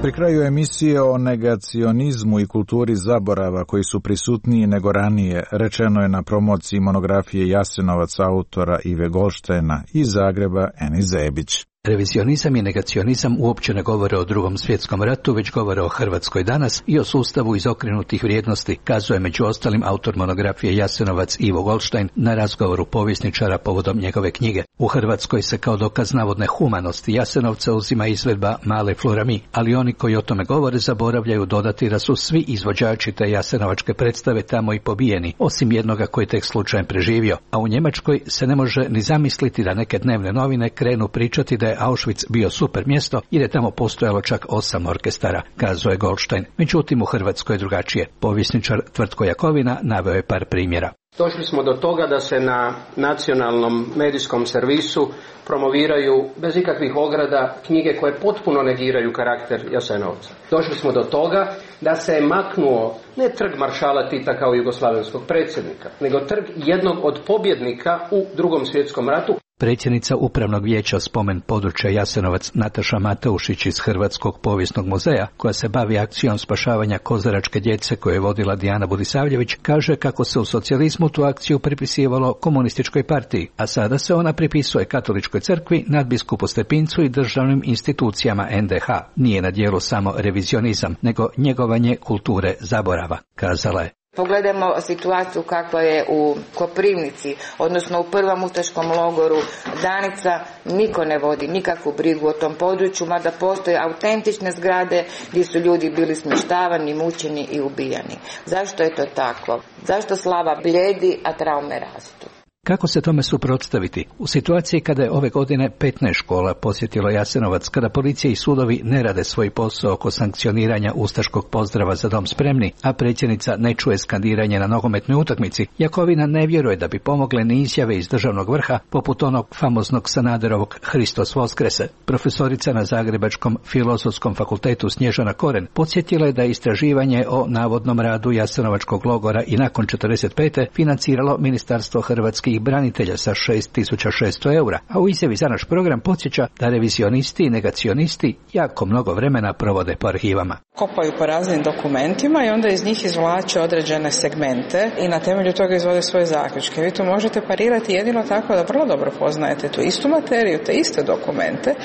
Pri kraju emisije o negacionizmu i kulturi zaborava koji su prisutniji nego ranije, rečeno je na promociji monografije Jasenovac autora Ive Goldsteina iz Zagreba Eni Zebić. Revizionizam i negacionizam uopće ne govore o Drugom svjetskom ratu, već govore o Hrvatskoj danas i o sustavu izokrenutih vrijednosti, kazuje među ostalim autor monografije Jasenovac Ivo Goldstein na razgovoru povjesničara povodom njegove knjige. U Hrvatskoj se kao dokaz navodne humanosti Jasenovca uzima izvedba Male Florami, ali oni koji o tome govore zaboravljaju dodati da su svi izvođači te jasenovačke predstave tamo i pobijeni, osim jednoga koji tek slučajem preživio. A u Njemačkoj se ne može ni zamisliti da neke dnevne novine krenu pričati da je Auschwitz bio super mjesto jer je tamo postojalo čak osam orkestara, kazuje Goldstein. Međutim, u Hrvatskoj je drugačije. Povjesničar Tvrtko Jakovina naveo je par primjera. Došli smo do toga da se na nacionalnom medijskom servisu promoviraju bez ikakvih ograda knjige koje potpuno negiraju karakter Jasenovca. Došli smo do toga da se je maknuo ne trg maršala Tita kao jugoslavenskog predsjednika, nego trg jednog od pobjednika u Drugom svjetskom ratu. Predsjednica Upravnog vijeća spomen područja Jasenovac Nataša Mateušić iz Hrvatskog povijesnog muzeja, koja se bavi akcijom spašavanja kozaračke djece koju je vodila Dijana Budisavljević, kaže kako se u socijalizmu tu akciju pripisivalo komunističkoj partiji, a sada se ona pripisuje Katoličkoj crkvi, nadbiskupu Stepincu i državnim institucijama en de ha. Nije na djelu samo revizionizam, nego njegovanje kulture zaborava, kazala je. Pogledajmo situaciju kakva je u Koprivnici, odnosno u prvom ustaškom logoru Danica. Niko ne vodi nikakvu brigu o tom području, mada postoje autentične zgrade gdje su ljudi bili smještavani, mučeni i ubijani. Zašto je to tako? Zašto slava bljedi, a traume rastu? Kako se tome suprotstaviti? U situaciji kada je ove godine petnaest škola posjetilo Jasenovac, kada policija i sudovi ne rade svoj posao oko sankcioniranja ustaškog pozdrava Za dom spremni, a predsjednica ne čuje skandiranje na nogometnoj utakmici, Jakovina ne vjeruje da bi pomogle ni izjave iz državnog vrha, poput onog famoznog Sanaderovog Hristos Voskrese. Profesorica na Zagrebačkom filozofskom fakultetu Snježana Koren podsjetila je da je istraživanje o navodnom radu Jasenovačkog logora i nakon četrdeset pete financiralo Ministarstvo hrvatskih branitelja sa šest tisuća šesto eura, a u izjavi za naš program podsjeća da revizionisti i negacionisti jako mnogo vremena provode po arhivama. Kopaju po raznim dokumentima i onda iz njih izvlače određene segmente i na temelju toga izvode svoje zaključke. Vi to možete parirati jedino tako da vrlo dobro poznajete tu istu materiju, te iste dokumente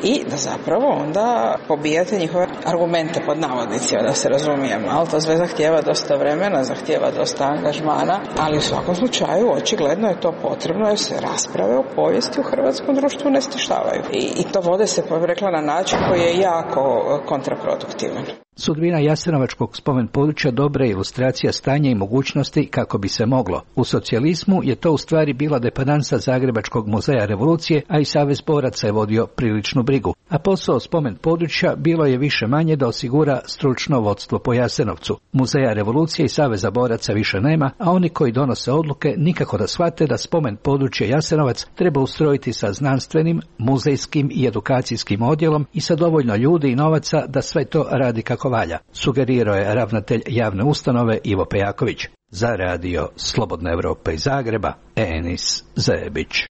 i da zapravo onda pobijate njihove argumente pod navodnicima, da se razumijemo. Ali to sve zahtijeva dosta vremena, zahtijeva dosta angažmana, ali u svakom slučaju očigledno je to potrebno jer se rasprave o povijesti u hrvatskom društvu ne stištavaju. I, i to vode se, rekla, na način koji je jako kontraproduktivan. Sudbina Jasenovačkog spomen područja dobra je ilustracija stanja i mogućnosti kako bi se moglo. U socijalizmu je to u stvari bila dependansa Zagrebačkog muzeja revolucije, a i Savez boraca je vodio priličnu brigu. A posao spomen područja bilo je više manje da osigura stručno vodstvo po Jasenovcu. Muzeja revolucije i Saveza boraca više nema, a oni koji donose odluke nikako da shvate da spomen područje Jasenovac treba ustrojiti sa znanstvenim, muzejskim i edukacijskim odjelom i sa dovoljno ljudi i novaca da sve to radi kako valja, sugerirao je ravnatelj javne ustanove Ivo Pejaković. Za radio Slobodna Evropa iz Zagreba, Enis Zebić.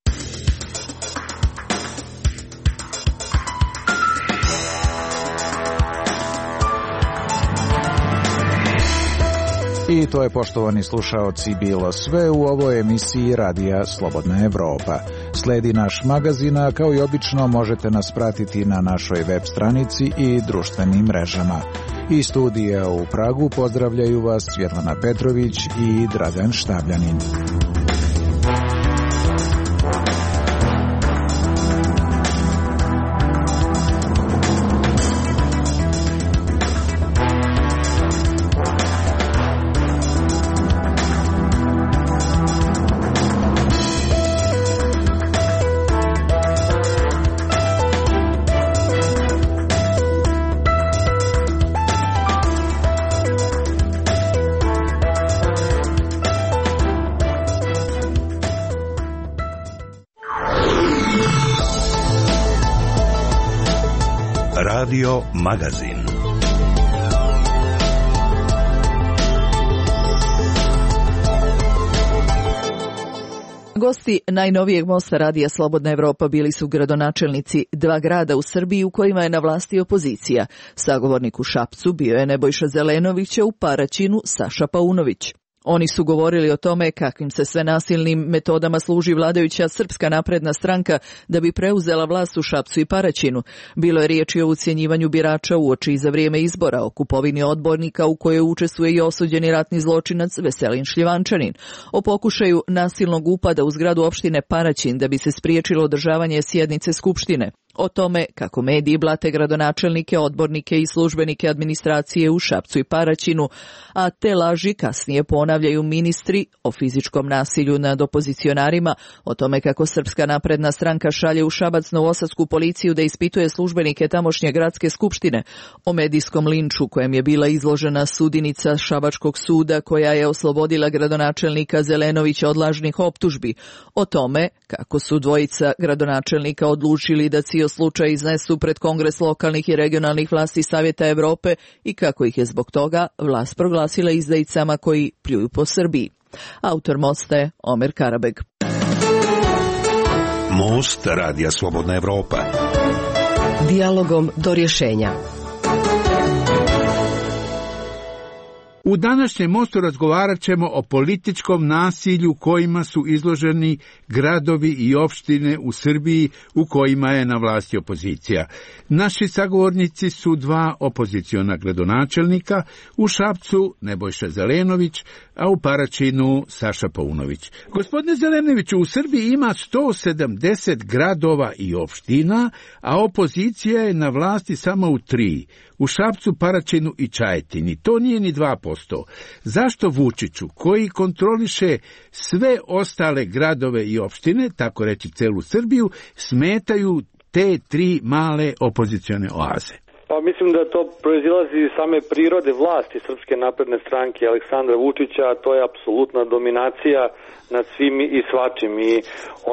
I to je, poštovani slušaoci, bilo sve u ovoj emisiji Radija Slobodna Evropa. Sledi naš magazin, a kao i obično možete nas pratiti na našoj web stranici i društvenim mrežama. Iz studija u Pragu pozdravljaju vas Svjetlana Petrović i Dragan Štabljanin. Radio Magazin. Gosti najnovijeg mosta Radija Slobodna Evropa bili su gradonačelnici dva grada u Srbiji u kojima je na vlasti opozicija. Sagovornik u Šapcu bio je Nebojša Zelenović, a u Paraćinu Saša Paunović. Oni su govorili o tome kakvim se sve nasilnim metodama služi vladajuća Srpska napredna stranka da bi preuzela vlast u Šapcu i Paraćinu. Bilo je riječi o ucjenjivanju birača uoči i za vrijeme izbora, o kupovini odbornika u kojoj učestvuje i osuđeni ratni zločinac Veselin Šljivančanin, o pokušaju nasilnog upada u zgradu opštine Paraćin da bi se spriječilo održavanje sjednice Skupštine, o tome kako mediji blate gradonačelnike, odbornike i službenike administracije u Šapcu i Paraćinu, a te laži kasnije ponavljaju ministri, o fizičkom nasilju nad opozicionarima, o tome kako Srpska napredna stranka šalje u Šabac novosadsku policiju da ispituje službenike tamošnje gradske skupštine, o medijskom linču kojem je bila izložena sudinica Šabačkog suda koja je oslobodila gradonačelnika Zelenovića od lažnih optužbi, o tome kako su dvojica gradonačelnika odlučili da cijel slučaj iznesu pred Kongres lokalnih i regionalnih vlasti Savjeta Evrope i kako ih je zbog toga vlast proglasila izdajicama koji pljuju po Srbiji. Autor mosta je Omer Karabeg. Most Radija Slobodna Evropa. Dijalogom do rješenja. U današnjem mostu razgovarat ćemo o političkom nasilju kojima su izloženi gradovi i opštine u Srbiji u kojima je na vlasti opozicija. Naši sagovornici su dva opoziciona gradonačelnika, u Šapcu Nebojša Zelenović, a u Paraćinu Saša Paunović. Gospodine Zelenoviću, u Srbiji ima sto sedamdeset gradova i opština, a opozicija je na vlasti samo u tri. U Šapcu, Paraćinu i Čajetini. To nije ni dva posto. Zašto Vučiću, koji kontroliše sve ostale gradove i opštine, tako reći celu Srbiju, smetaju te tri male opozicione oaze? Pa mislim da to proizilazi iz same prirode vlasti Srpske napredne stranke Aleksandra Vučića, a to je apsolutna dominacija nad svim i svačim. I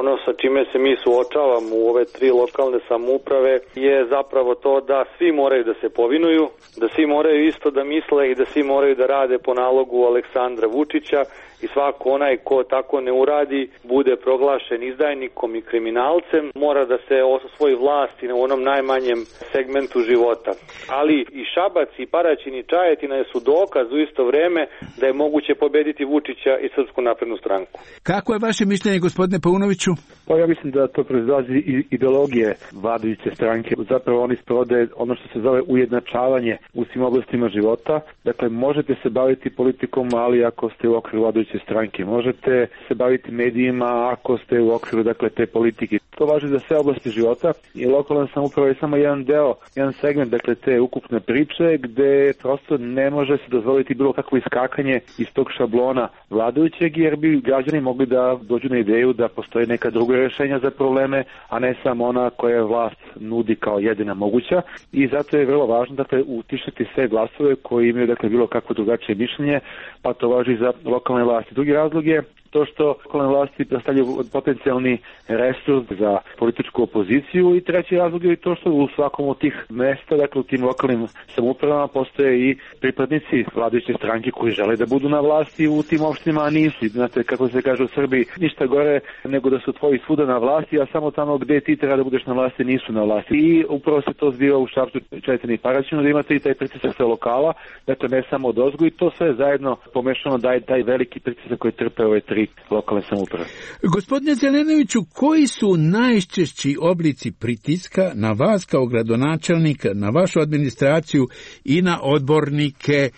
ono sa čime se mi suočavamo u ove tri lokalne samouprave je zapravo to da svi moraju da se povinuju, da svi moraju isto da misle i da svi moraju da rade po nalogu Aleksandra Vučića i svako onaj ko tako ne uradi bude proglašen izdajnikom i kriminalcem, mora da se osvoji vlasti na onom najmanjem segmentu života. Ali i Šabac i Paraćin i Čajetina su dokaz u isto vreme da je moguće pobediti Vučića i Srpsku naprednu stranku. Kako je vaše mišljenje, gospodine Paunoviću? Pa ja mislim da to proizlazi iz ideologije vladajuće stranke. Zapravo oni sprovode ono što se zove ujednačavanje u svim oblastima života. Dakle, možete se baviti politikom, ali ako ste u okviru vladajuće stranke. Možete se baviti medijima ako ste u okviru, dakle, te politike. To važi za sve oblasti života i lokalna samouprava je samo jedan deo, jedan segment, dakle, te ukupne priče gde prosto ne može se dozvoliti bilo kakvo iskakanje iz tog šablona vladajućeg, jer bi građani mogli da dođu na ideju da postoji neka druga rješenja za probleme, a ne samo ona koja vlast nudi kao jedina moguća. I zato je vrlo važno, dakle, utišati sve glasove koji imaju, dakle, bilo kakvo drugačije mišljenje, pa to važi za lokalne vlasti. Drugi razlog je to što lokalne vlasti predstavljaju potencijalni resurs za političku opoziciju i treći razlog je to što u svakom od tih mesta, dakle u tim lokalnim samoupravama postoje i pripadnici vladajuće stranke koji žele da budu na vlasti u tim opštinama, a nisu. Znate, kako se kaže u Srbiji, ništa gore nego da su tvoji svuda na vlasti, a samo tamo gde ti treba da budeš na vlasti nisu na vlasti. I upravo se to zbiva u Šapcu, Čajetini i Paraćinu, da imate i taj pritisak sa lokala, dakle ne samo od ozgo, i to sve zajedno pomešano daje taj veliki pritisak koji trpe ove tri lokalne samouprave. Gospodine Zelenoviću, koji su najčešći oblici pritiska na vas kao gradonačelnika, na vašu administraciju i na odbornike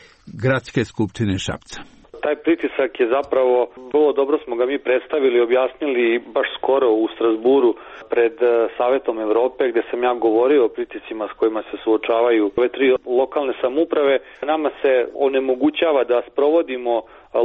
Gradske skupštine Šapca? Taj pritisak je zapravo, vrlo dobro smo ga mi predstavili i objasnili baš skoro u Strasburu pred Savjetom Evrope, gde sam ja govorio o pritiscima s kojima se suočavaju ove tri lokalne samouprave. Nama se onemogućava da sprovodimo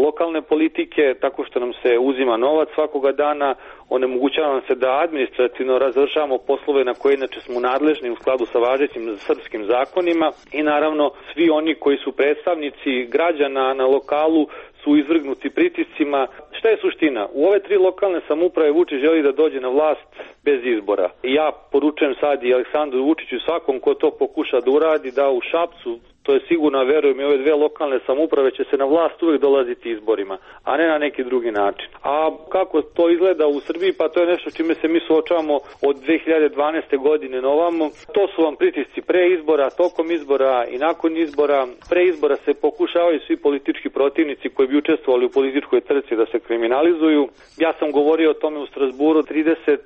lokalne politike tako što nam se uzima novac svakoga dana, onemogućava nam se da administrativno razvršavamo poslove na koje inače smo nadležni u skladu sa važećim srpskim zakonima i naravno svi oni koji su predstavnici građana na lokalu su izvrgnuti pritiscima. Šta je suština? U ove tri lokalne samouprave Vučić želi da dođe na vlast bez izbora. Ja poručujem sad i Aleksandru Vučiću, svakom ko to pokuša da uradi, da u Šapcu, to je sigurno, verujem, i ove dve lokalne samouprave će se na vlast uvek dolaziti izborima, a ne na neki drugi način. A kako to izgleda u Srbiji, pa to je nešto čime se mi suočavamo od dve hiljade dvanaeste godine na ovamo. To su vam pritisci pre izbora, tokom izbora i nakon izbora. Pre izbora se pokušavaju svi politički protivnici koji bi učestvovali u političkoj trci da se kriminalizuju. Ja sam govorio o tome u Strasburu, trideset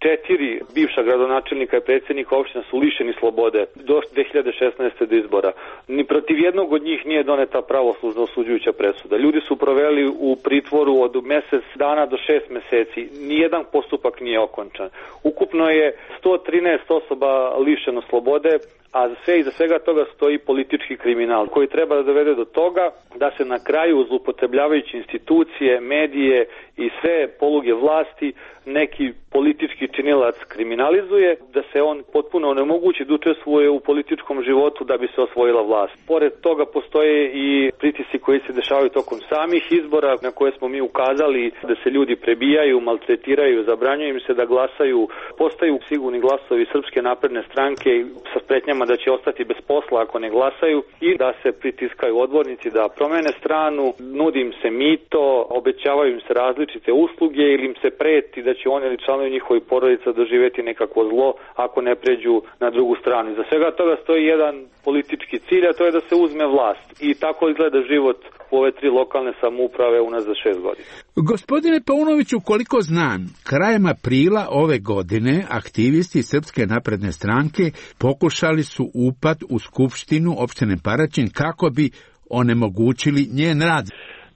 četiri bivša gradonačelnika i predsjednika opština su lišeni slobode do dve hiljade šesnaeste do izbora. Ni protiv jednog od njih nije doneta pravoslužna osuđujuća presuda. Ljudi su proveli u pritvoru od mesec dana do šest meseci. Nijedan postupak nije okončan. Ukupno je sto trinaest osoba lišeno slobode, a sve iza svega toga stoji politički kriminal koji treba da dovede do toga da se na kraju, zloupotrebljavajući institucije, medije i sve poluge vlasti, neki politički činilac kriminalizuje, da se on potpuno onemogući da učestvuje u političkom životu da bi se osvojila vlast. Pored toga postoje i pritisci koji se dešavaju tokom samih izbora na koje smo mi ukazali, da se ljudi prebijaju, maltretiraju, zabranjuje im se da glasaju, postaju sigurni glasovi Srpske napredne stranke sa pretnjama da će ostati bez posla ako ne glasaju i da se pritiskaju odbornici da promene stranu, nudi im se mito, obećavaju im se različite usluge ili im se preti da će oni ili članovi njihovih porodica doživjeti nekakvo zlo ako ne pređu na drugu stranu. Za svega toga stoji jedan politički cilj, a to je da se uzme vlast. I tako izgleda život u ove tri lokalne samouprave unazad šest godina. Gospodine Paunoviću, koliko znam, krajem aprila ove godine aktivisti Srpske napredne stranke pokušali su upad u skupštinu opštine Paraćin kako bi onemogućili njen rad.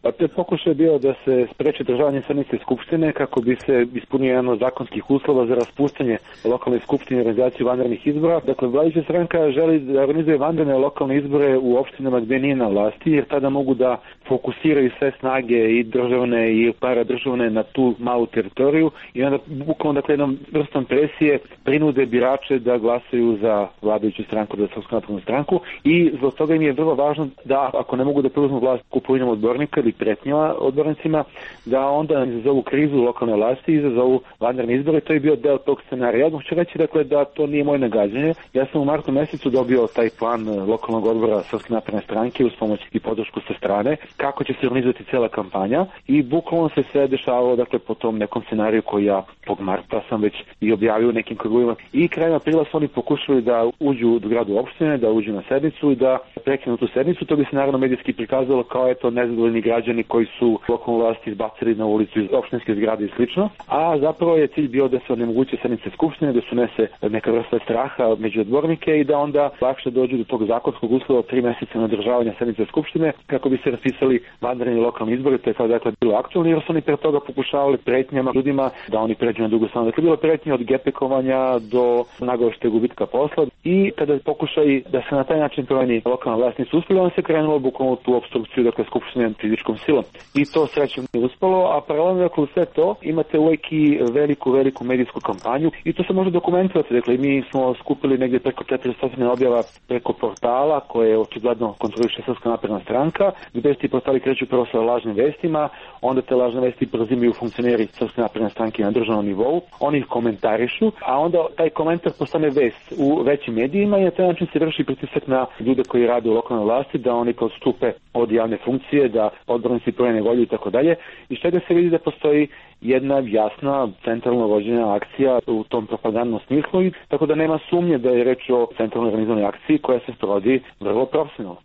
Pa te pokušaj je bio da se spreči državanje sednice skupštine kako bi se ispunio jedan od zakonskih uslova za raspuštanje lokalne skupštine i organizaciju vanrednih izbora. Dakle, vladajuća stranka želi da organizuje vanredne lokalne izbore u opštinama gdje nije na vlasti, jer tada mogu da fokusiraju sve snage i državne i paradržavne na tu malu teritoriju i onda bukvalno, dakle, jednom vrstom presije prinude birače da glasaju za vladajuću stranku, za Srpsku naprednu stranku, i zbog toga im je vrlo važno da, ako ne mogu da preuzmu vlast kupovinom odbornika ili pretnjama odbornicima, da onda izazovu krizu lokalne vlasti i izazovu vanredne izbore. To je bio deo tog scenarija. Ja ću reći, dakle, da to nije moje nagađanje. Ja sam u martu mesecu dobio taj plan lokalnog odbora Srpske napredne stranke uz pomoć i podršku sa strane, kako će se organizovati cela kampanja, i bukvalno se sve dešavalo, dakle, po tom nekom scenariju koji ja tog marta sam već i objavio u nekim krugovima. I krajem aprila su oni pokušali da uđu do gradu opštine, da uđu na sednicu i da prekinu tu sednicu. To bi se naravno medijski prikazalo kao eto nezadovoljni građani koji su lokalnu vlast izbacili na ulicu iz opštinske zgrade i slično, a zapravo je cilj bio da se onemoguće sednice skupštine, da se unese neka vrsta straha među odbornike i da onda lakše dođu do tog zakonskog uslova tri meseca na održavanja sednice skupštine kako bi se raspisali vanredni lokalni izbori. To je kao dakle bilo aktualno, jer su oni pre toga pokušavali pretnjama ljudima da oni pređu na drugu stranu. Dakle, bilo pretnje od gepekovanja do nagoveštaja gubitka posla, i kada pokušaj da se na taj način promeni lokalna vlast nisu uspjeli, on se krenulo bukvalno tu opstrukciju, dakle, skupštine fizičkom silom. I to srećom nije uspelo, a paralelno, dakle, u sve to imate uvijek i veliku, veliku medijsku kampanju i to se može dokumentovati. Dakle, mi smo skupili negdje preko četiristo objava preko portala koje očigledno kontroliše Srpska napredna stranka, gdje ti portali kreću prvo sa lažnim vestima, onda te lažne vesti preuzimaju funkcioneri Srpske napredne stranke na državnom nivou, oni ih komentarišu, a onda taj komentar postane vest u većim medijima i na taj način se vrši pritisak na ljude koji rade u lokalnoj vlasti da oni odstupe od javne funkcije, da odbornici promene volju i tako dalje. I što da se vidi da postoji jedna jasna centralno vođena akcija u tom propagandnom smislu, i tako da nema sumnje da je reč o centralno organizovanoj akciji koja se sprovodi vrlo profesionalno.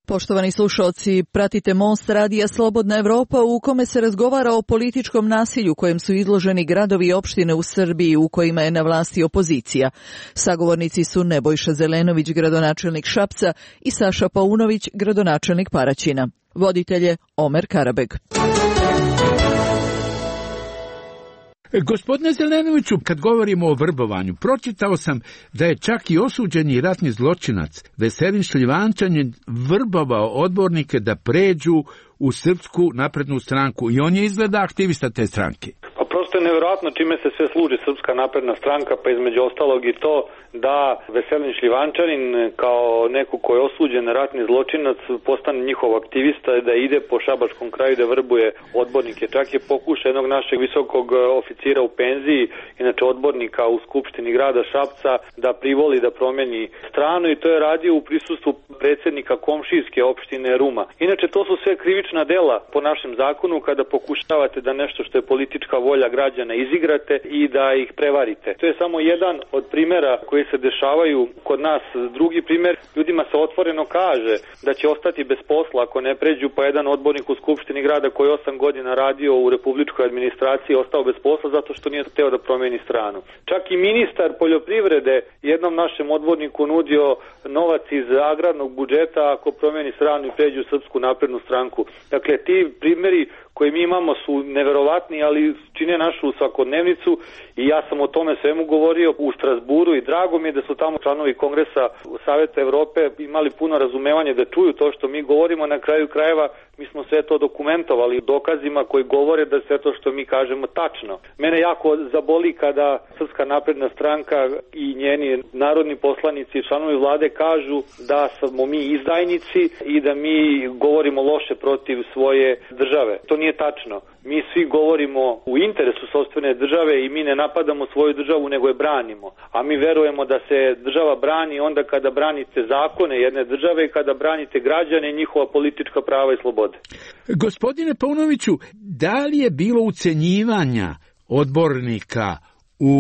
Poštovani slušalci, pratite Most radija Slobodna Evropa u kome se razgovara o političkom nasilju kojem su izloženi gradovi i opštine u Srbiji u kojima je na vlasti opozicija. Sagovornici su Nebojša Zelenović, gradonačelnik Šapca, i Saša Paunović, gradonačelnik Paraćina. Voditelj je Omer Karabeg. Gospodine Zelenoviću, kad govorimo o vrbovanju, pročitao sam da je čak i osuđeni ratni zločinac Veselin Šljivančanin vrbovao odbornike da pređu u Srpsku naprednu stranku i on je izgleda aktivista te stranke. Prosto je nevjerojatno čime se sve služi Srpska napredna stranka, pa između ostalog i to da Veselin Šljivančanin kao neko ko je osuđen ratni zločinac postane njihov aktivista, da ide po šabačkom kraju da vrbuje odbornike. Čak je pokušao jednog našeg visokog oficira u penziji, inače odbornika u Skupštini grada Šapca, da privoli da promeni stranu, i to je radio u prisustvu predsjednika komšijske opštine Ruma. Inače, to su sve krivična dela po našem zakonu kada pokušavate da nešto što je politička volja građana izigrate i da ih prevarite. To je samo jedan od primjera koji se dešavaju kod nas. Drugi primjer, ljudima se otvoreno kaže da će ostati bez posla ako ne pređu, pa jedan odbornik u Skupštini grada koji je osam godina radio u republičkoj administraciji ostao bez posla zato što nije hteo da promeni stranu. Čak i ministar poljoprivrede jednom našem odborniku nudio novac iz agrarnog budžeta ako promeni stranu i pređu u Srpsku naprednu stranku. Dakle, ti primjeri koje mi imamo su neverovatni, ali čine našu svakodnevnicu, i ja sam o tome svemu govorio u Strasburu i drago mi je da su tamo članovi Kongresa Saveta Evrope imali puno razumevanje da čuju to što mi govorimo. Na kraju krajeva mi smo sve to dokumentovali dokazima koji govore da sve to što mi kažemo tačno. Mene jako zaboli kada Srpska napredna stranka i njeni narodni poslanici i članovi vlade kažu da smo mi izdajnici i da mi govorimo loše protiv svoje države. To nije tačno. Mi svi govorimo u interesu sopstvene države i mi ne napadamo svoju državu, nego je branimo. A mi verujemo da se država brani onda kada branite zakone jedne države i kada branite građane i njihova politička prava i slobode. Gospodine Paunoviću, da li je bilo ucenjivanja odbornika u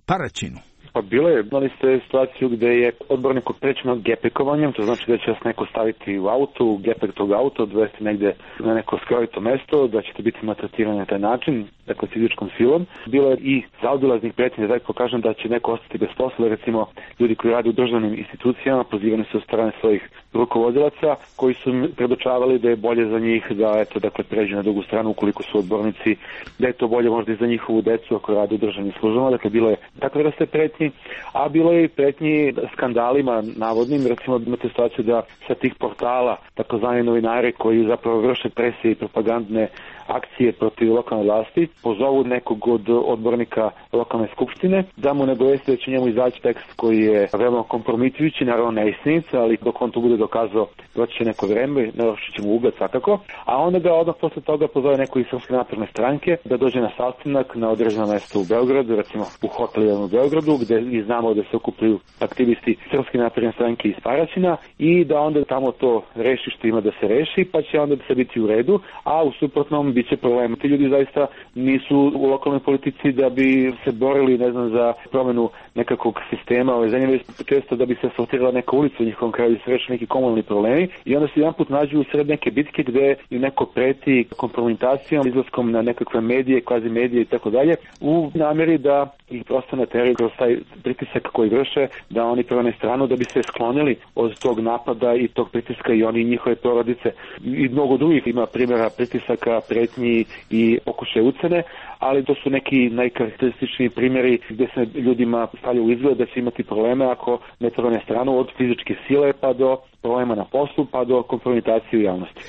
Paraćinu? Pa bilo je, imali ste situaciju gde je odbornik opterećen gepekovanjem, to znači da će vas neko staviti u auto, gepek tog auta, odvesti negde na neko skrovito mesto, da ćete biti maltretirani na taj način, dakle fizičkom silom. Bilo je i zaobilaznih pretnji, da tako kažem, da će neko ostati bez posla, recimo ljudi koji rade u državnim institucijama, pozivani su od strane svojih rukovodilaca, koji su predočavali da je bolje za njih da eto, dakle, pređu na drugu stranu ukoliko su odbornici, da je to bolje možda i za njihovu decu ako rade u državnim službama. Dakle, bilo je takve vrste pretnji, a bilo je i pretnji skandalima navodnim. Recimo, imate situaciju da sa tih portala, takozvani novinari koji zapravo vrše presije i propagandne akcije protiv lokalne vlasti, pozovu nekog od odbornika lokalne skupštine, da mu ne dovesti da će njemu izaći tekst koji je veoma kompromitujući, naravno neistinit, ali dok on to bude dokazao, doći će neko vreme, narušit će mu ugled svakako, a onda ga odmah posle toga pozove neko iz Srpske napredne stranke da dođe na sastanak na određeno mesto u Beogradu, recimo u hotelu u Beogradu, gde i znamo da se okupljuju aktivisti Srpske napredne stranke iz Paraćina, i da onda tamo to reši što ima da se reši, pa će onda se biti u redu, a u suprotnom biće problema. Ti ljudi zaista nisu u lokalnoj politici da bi se borili, ne znam, za promenu nekakvog sistema ove zemlje, često da bi se asfaltirala neka ulica u njihovom kraju i se reši neki komunalni problemi, i onda se jedan put nađu u sred neke bitke gde im neko preti kompromitacijom, izlaskom na nekakve medije, kvazi medije i tako dalje, u nameri da ih prosto nateraju kroz taj pritisak koji vrše, da oni promene stranu, da bi se sklonili od tog napada i tog pritiska i oni i njihove porodice. I mnogo drugih ima primjera pritisaka, pretnji i pokušaje ucene, ali to su neki najkarakterističniji primjeri gde se ljudima stavlja u izgled da će imati probleme ako ne promene stranu, od fizičke sile pa do problema na poslu pa do kompromitacije u javnosti.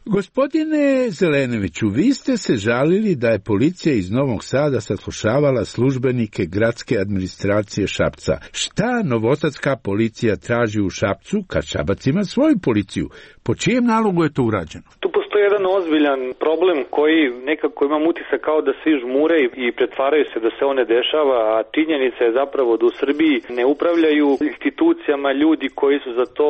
Gospodine Zelenoviću, vi ste se žalili da je policija iz Novog Sada saslušavala službenike gradske administracije Šapca. Šta novosadska policija traži u Šapcu kad Šabac ima svoju policiju? Po čijem nalogu je to urađeno? Tu postoji jedan ozbiljan problem koji nekako imam utisak kao da svi žmure i pretvaraju se da se on ne dešava, a činjenica je zapravo da u Srbiji ne upravljaju institucijama ljudi koji su za to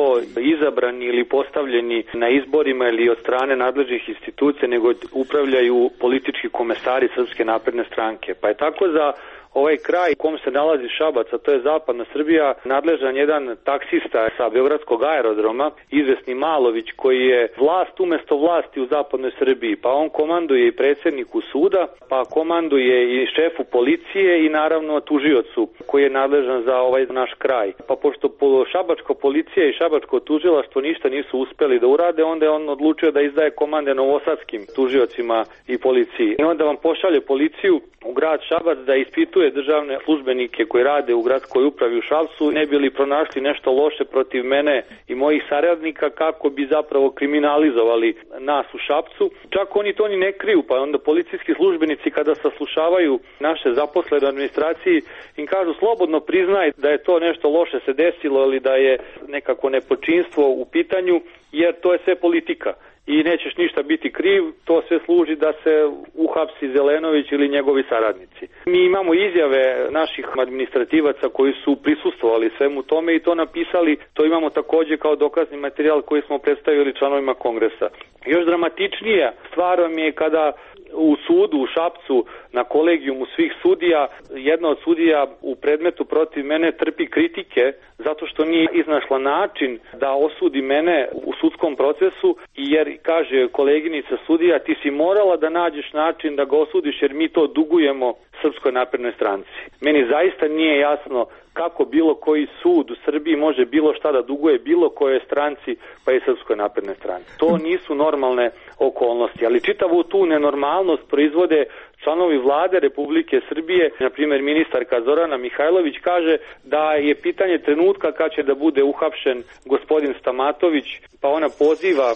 izabrani ili postavljeni na izborima ili od strane nadležnih institucija, nego upravljaju politički komesari Srpske napredne stranke. Pa je tako za ovaj kraj u kom se nalazi Šabac, a to je zapadna Srbija, nadležan jedan taksista sa beogradskog aerodroma, izvesni Malović, koji je vlast umesto vlasti u zapadnoj Srbiji. Pa on komanduje i predsjedniku suda, pa komanduje i šefu policije i naravno tužiocu koji je nadležan za ovaj naš kraj. Pa pošto šabačka policija i šabačko tužilaštvo ništa nisu uspeli da urade, onda je on odlučio da izdaje komande novosadskim tužiocima i policiji. I onda vam pošalje policiju u grad Šabac da ispituje druge državne službenike koji rade u gradskoj upravi u Šapcu, ne bi li pronašli nešto loše protiv mene i mojih saradnika kako bi zapravo kriminalizovali nas u Šapcu. Čak oni to ni ne kriju, pa onda policijski službenici kada saslušavaju naše zaposlene u administraciji im kažu slobodno priznaj da je to nešto loše se desilo ili da je nekako nepočinstvo u pitanju, jer to je sve politika. I nećeš ništa biti kriv, to sve služi da se uhapsi Zelenović ili njegovi saradnici. Mi imamo izjave naših administrativaca koji su prisustvovali svemu tome i to napisali, to imamo također kao dokazni materijal koji smo predstavili članovima kongresa. Još dramatičnija stvar vam je kada u sudu u Šapcu na kolegijumu svih sudija, jedna od sudija u predmetu protiv mene trpi kritike zato što nije iznašla način da osudi mene u sudskom procesu, jer kaže koleginica sudija, ti si morala da nađeš način da ga osudiš jer mi to dugujemo Srpskoj naprednoj stranci. Meni zaista nije jasno kako bilo koji sud u Srbiji može bilo šta da duguje bilo kojoj stranci, pa i Srpskoj naprednoj stranci. To nisu normalne okolnosti, ali čitavu tu nenormalnost proizvode članovi vlade Republike Srbije. Na primjer, ministarka Zorana Mihajlović kaže da je pitanje trenutka kad će da bude uhapšen gospodin Stamatović, pa ona poziva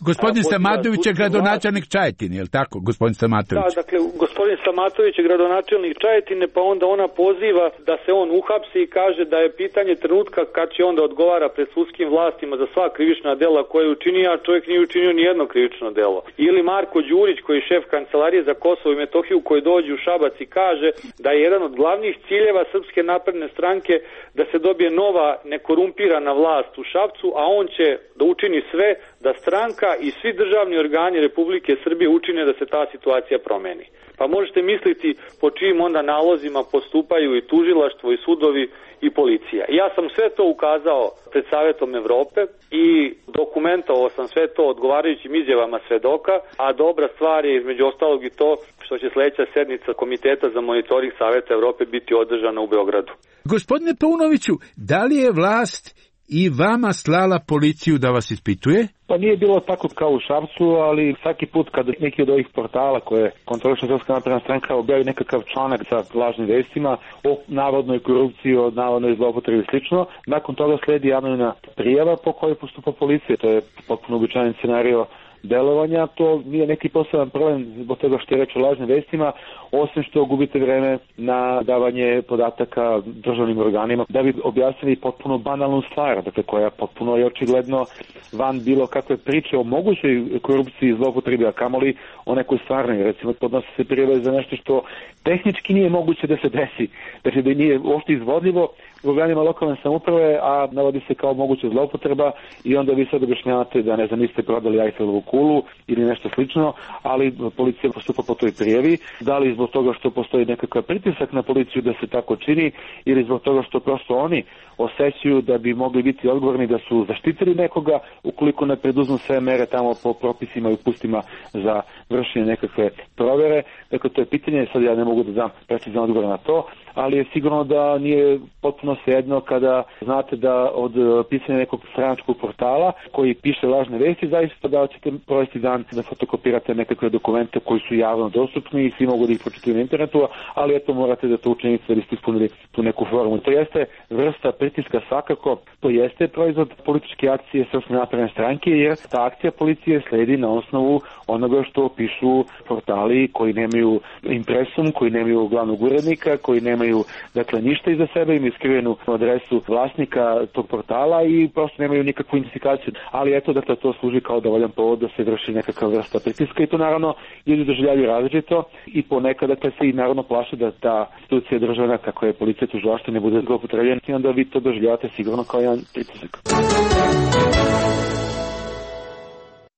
Gospodin Stamatović je gradonačelnik Čajetine, je li tako, gospodin Stamatović? Da, dakle, gospodin Stamatović je gradonačelnik Čajetine, pa onda ona poziva da se on uhapsi i kaže da je pitanje trenutka kad će onda odgovara pred sudskim vlastima za sva krivična dela koje je učinio, a čovjek nije učinio ni jedno krivično delo. Ili Marko Đurić, koji je šef kancelarije za Kosovo i Metohiju, koji dođe u Šabac i kaže da je jedan od glavnih ciljeva Srpske napredne stranke da se dobije nova nekorumpirana vlast u Šapcu, a on će da učini sve da stranka i svi državni organi Republike Srbije učine da se ta situacija promeni. Pa možete misliti po čijim onda nalozima postupaju i tužilaštvo i sudovi i policija. Ja sam sve to ukazao pred Savetom Evrope i dokumentovao sam sve to odgovarajućim izjavama svedoka, a dobra stvar je između ostalog i to što će sljedeća sednica Komiteta za monitoring Saveta Evrope biti održana u Beogradu. Gospodine Paunoviću, da li je vlast i vama slala policiju da vas ispituje? Pa nije bilo tako kao u Šapcu, ali svaki put kad neki od ovih portala koje kontroliše Srpska napredna stranka objavi nekakav članak sa lažnim vestima o navodnoj korupciji, o navodnoj zloupotrebi i slično, nakon toga sledi anonimna prijava po kojoj postupa policija. To je potpuno uobičajen scenario delovanja, to nije neki poseban problem zbog toga što je reč o lažnim vestima, osim što gubite vreme na davanje podataka državnim organima da bi objasnili potpuno banalnu stvar, dakle koja potpuno je očigledno van bilo kakve priče o mogućoj korupciji i zloupotrebi, a kamoli o nekoj stvarnoj. Recimo, podnose se prijave za nešto što tehnički nije moguće da se desi, znači da nije uopšte izvodljivo u organima lokalne samouprave, a navodi se kao moguća zloupotreba i onda vi sad objašnjavate da ne znam, niste prodali Eiffelovu kulu ili nešto slično, ali policija postupa po toj prijavi, da li zbog toga što postoji nekakav pritisak na policiju da se tako čini ili zbog toga što prosto oni osjećaju da bi mogli biti odgovorni da su zaštitili nekoga ukoliko ne preduzmu sve mere tamo po propisima i upustima za vršenje nekakve provere. Dakle, to je pitanje, sad ja ne mogu da dam precizan odgovor na to, ali je sigurno da nije potpuno svejedno kada znate da od pisanja nekog stranačkog portala koji piše lažne vesti, zaista da ćete provesti dan da fotokopirate nekakve dokumente koji su javno dostupni i svi mogu da ih pročitaju na internetu, ali eto morate da to učinite da biste ispunili tu neku formu. To jeste vrsta pritiska svakako, to jeste proizvod političke akcije Srpske napredne stranke, jer ta akcija policije sledi na osnovu onoga što pišu portali koji nemaju impresum, koji nemaju glavnog urednika, koji nemaju dakle ništa iza sebe, imaju skrivenu adresu vlasnika tog portala i prosto nemaju nikakvu identifikaciju. Ali eto, dakle, to služi kao dovoljan povod da se vrši nekakva vrsta pritiska i to naravno ljudi doživljavaju različito i ponekad dakle se i naravno plaše da ta institucija državna, kako je policija tužilaštvo, ne bude zloupotrebljena i onda vi to doživljavate sigurno kao jedan pritisak.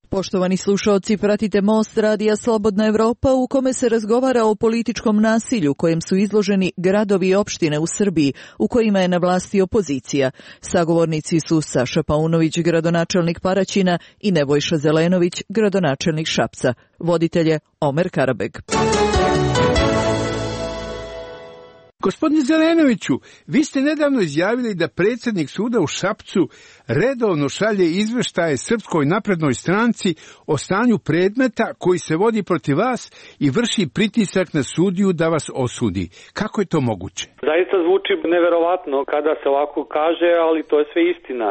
Poštovani slušaoci, pratite Most radija Slobodna Evropa u kome se razgovara o političkom nasilju kojem su izloženi gradovi i opštine u Srbiji u kojima je na vlasti opozicija. Sagovornici su Saša Paunović, gradonačelnik Paraćina i Nebojša Zelenović, gradonačelnik Šapca. Voditelj je Omer Karabeg. Gospodine Zelenoviću, vi ste nedavno izjavili da predsjednik suda u Šapcu redovno šalje izveštaje Srpskoj naprednoj stranci o stanju predmeta koji se vodi protiv vas i vrši pritisak na sudiju da vas osudi. Kako je to moguće? Zaista zvuči neverovatno kada se ovako kaže, ali to je sve istina.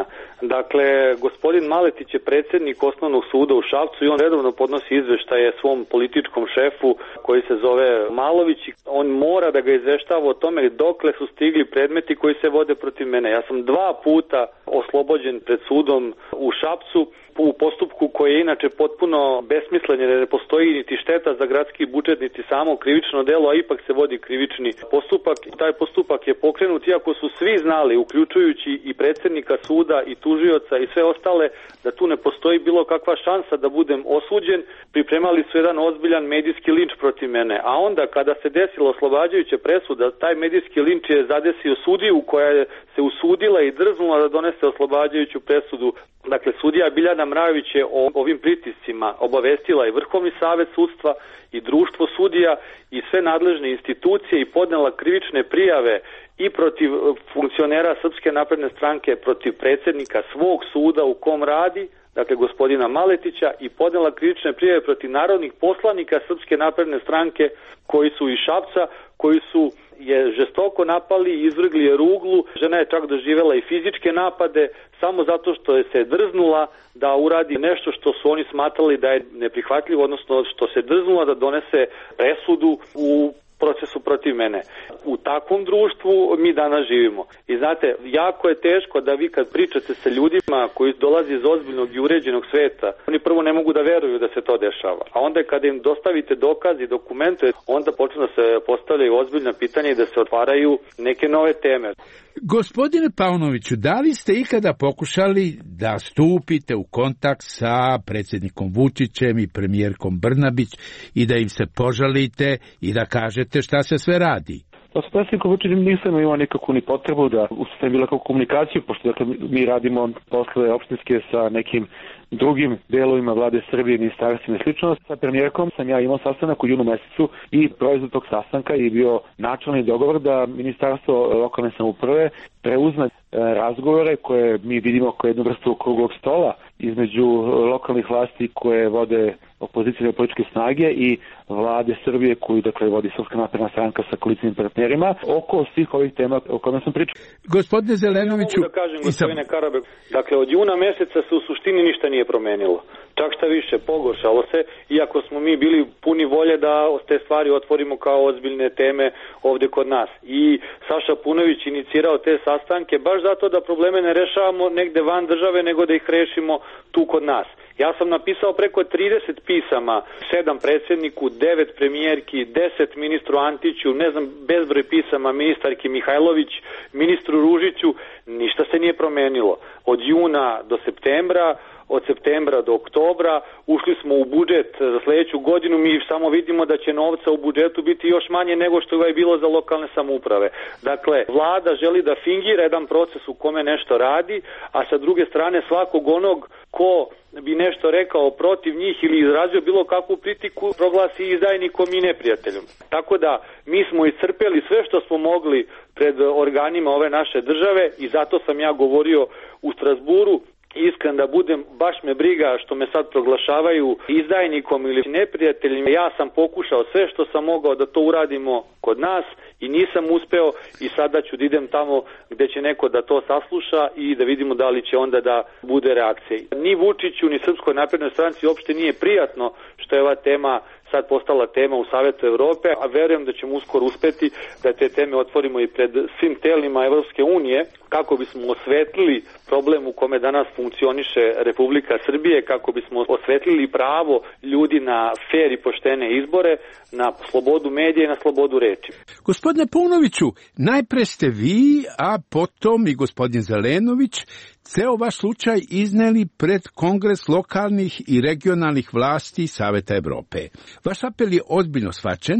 Dakle, gospodin Maletić je predsjednik osnovnog suda u Šapcu i on redovno podnosi izveštaje svom političkom šefu koji se zove Malović. On mora da ga izveštava o tome dokle su stigli predmeti koji se vode protiv mene. Ja sam dva puta oslobođen pred sudom u Šapcu u postupku koji je inače potpuno besmislen, jer ne postoji niti šteta za gradski budžet, niti samo krivično delo, a ipak se vodi krivični postupak. Taj postupak je pokrenut iako su svi znali, uključujući i predsjednika suda i tužioca i sve ostale, da tu ne postoji bilo kakva šansa da budem osuđen. Pripremali su jedan ozbiljan medijski linč protiv mene. A onda kada se desila oslobađajuća presuda, taj medijski linč je zadesio sudiju koja je se usudila i drznula da donese oslobađajuću presudu. Dakle, sudija Biljana Mrajović je o ovim pritiscima obavestila i Vrhovni savet sudstva i društvo sudija i sve nadležne institucije i podnela krivične prijave i protiv funkcionera Srpske napredne stranke, protiv predsjednika svog suda u kom radi, dakle gospodina Maletića, i podnela krivične prijave protiv narodnih poslanika Srpske napredne stranke koji su iz Šapca, koji su je žestoko napali i izvrgli je ruglu. Žena je čak doživjela i fizičke napade samo zato što je se drznula da uradi nešto što su oni smatrali da je neprihvatljivo, odnosno što se drznula da donese presudu u procesu protiv mene. U takvom društvu mi danas živimo. I znate, jako je teško da vi kad pričate sa ljudima koji dolaze iz ozbiljnog i uređenog sveta, oni prvo ne mogu da veruju da se to dešava. A onda kada im dostavite dokaz i dokumente, onda počnu da se postavljaju ozbiljna pitanja i da se otvaraju neke nove teme. Gospodine Paunoviću, da li ste ikada pokušali da stupite u kontakt sa predsjednikom Vučićem i premijerkom Brnabić i da im se požalite i da kažete šta se sve radi? Pa s predsjednikom Vučićem nisam imao nikakvu ni potrebu da ustavim bilo kakvu komunikaciju, pošto dakle, mi radimo posle opštinske sa nekim drugim delovima vlade Srbije, ministarstvima i slično. Sa premijerkom sam ja imao sastanak u junu mesecu i proizvod tog sastanka je bio načelni dogovor da Ministarstvo lokalne samouprave preuzme razgovore koje mi vidimo kao jednu vrstu okruglog stola između lokalnih vlasti koje vode opozicijne političke snage i vlade Srbije koju dakle vodi Srpska napredna stranka sa koalicijnim partnerima oko svih ovih tema o kojima sam pričao. Gospodine Zelenoviću, ja mogu da kažem, gospodine Karabek, dakle od juna meseca se u suštini ništa nije promenilo. Čak šta više, pogoršalo se, iako smo mi bili puni volje da te stvari otvorimo kao ozbiljne teme ovde kod nas. I Saša Punović inicirao te sastanke baš zato da probleme ne rešavamo negde van države, nego da ih rešimo tu kod nas. Ja sam napisao preko trideset pisama, sedam predsjedniku, devet premijerki, deset ministru Antiću, ne znam, bezbroj pisama ministarki Mihajlović, ministru Ružiću, ništa se nije promenilo. Od juna do septembra, od septembra do oktobra, ušli smo u budžet za sljedeću godinu, mi samo vidimo da će novca u budžetu biti još manje nego što je bilo za lokalne samouprave. Dakle, vlada želi da fingira jedan proces u kome nešto radi, a sa druge strane svakog onog ko bi nešto rekao protiv njih ili izrazio bilo kakvu kritiku proglasi izdajnikom i neprijateljom. Tako da mi smo iscrpeli sve što smo mogli pred organima ove naše države i zato sam ja govorio u Strasburu. Iskren da budem, baš me briga što me sad proglašavaju izdajnikom ili neprijateljima. Ja sam pokušao sve što sam mogao da to uradimo kod nas i nisam uspeo i sada ću da idem tamo gde će neko da to sasluša i da vidimo da li će onda da bude reakcija. Ni Vučiću, ni Srpskoj naprednoj stranci uopšte nije prijatno što je ova tema sad postala tema u Savetu Evrope, a verujem da ćemo uskoro uspeti da te teme otvorimo i pred svim telima Evropske unije, kako bismo osvetlili problem u kome danas funkcioniše Republika Srbije, kako bismo osvetlili pravo ljudi na fer i poštene izbore, na slobodu medija i na slobodu reči. Gospodine Paunoviću, najpre ste vi, a potom i gospodin Zelenović, ceo vaš slučaj izneli pred Kongres lokalnih i regionalnih vlasti Saveta Evrope. Vaš apel je ozbiljno shvaćen,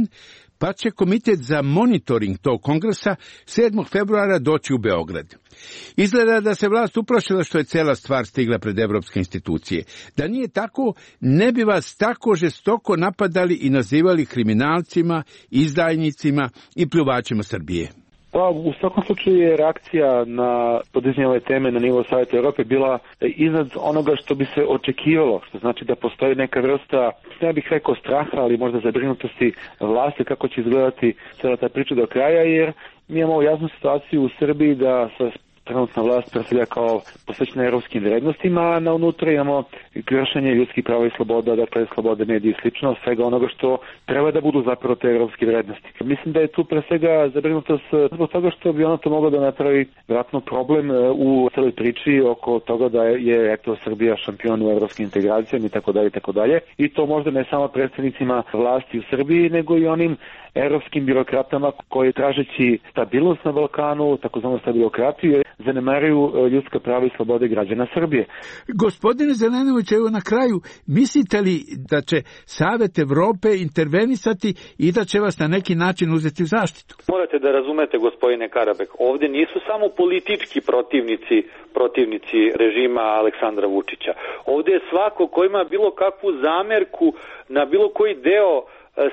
pa će komitet za monitoring tog kongresa sedmog februara doći u Beograd. Izgleda da se vlast uplašila što je cela stvar stigla pred evropske institucije. Da nije tako, ne bi vas tako žestoko napadali i nazivali kriminalcima, izdajnicima i pljuvačima Srbije. Pa u svakom slučaju je reakcija na podizanje ove teme na nivou Saveta Evrope bila iznad onoga što bi se očekivalo, što znači da postoji neka vrsta, ne bih rekao straha, ali možda zabrinutosti vlasti kako će izgledati cijela ta priča do kraja, jer mi imamo jasnu situaciju u Srbiji da sa trenutna vlast predstavlja kao posvećena europskim vrednostima, a na unutra imamo kršenje ljudskih prava i sloboda, dakle slobode medija i slično, svega onoga što treba da budu zapravo te europske vrednosti. Mislim da je tu pre svega zabrinutost zbog toga što bi ono to moglo da napravi vratno problem u celoj priči oko toga da je eto Srbija šampion u evropskim integracijama i tako dalje i tako dalje. I to možda ne samo predstavnicima vlasti u Srbiji, nego i onim evropskim birokratama koji tražeći stabilnost na Balkanu, takozvanu stabilokratiju, zanemaruju ljudska prava i slobode građana Srbije. Gospodine Zelenović, evo na kraju, mislite li da će Savet Evrope intervenisati i da će vas na neki način uzeti u zaštitu? Morate da razumete, gospodine Karabek, ovdje nisu samo politički protivnici protivnici režima Aleksandra Vučića. Ovdje je svako ko ima bilo kakvu zamerku na bilo koji deo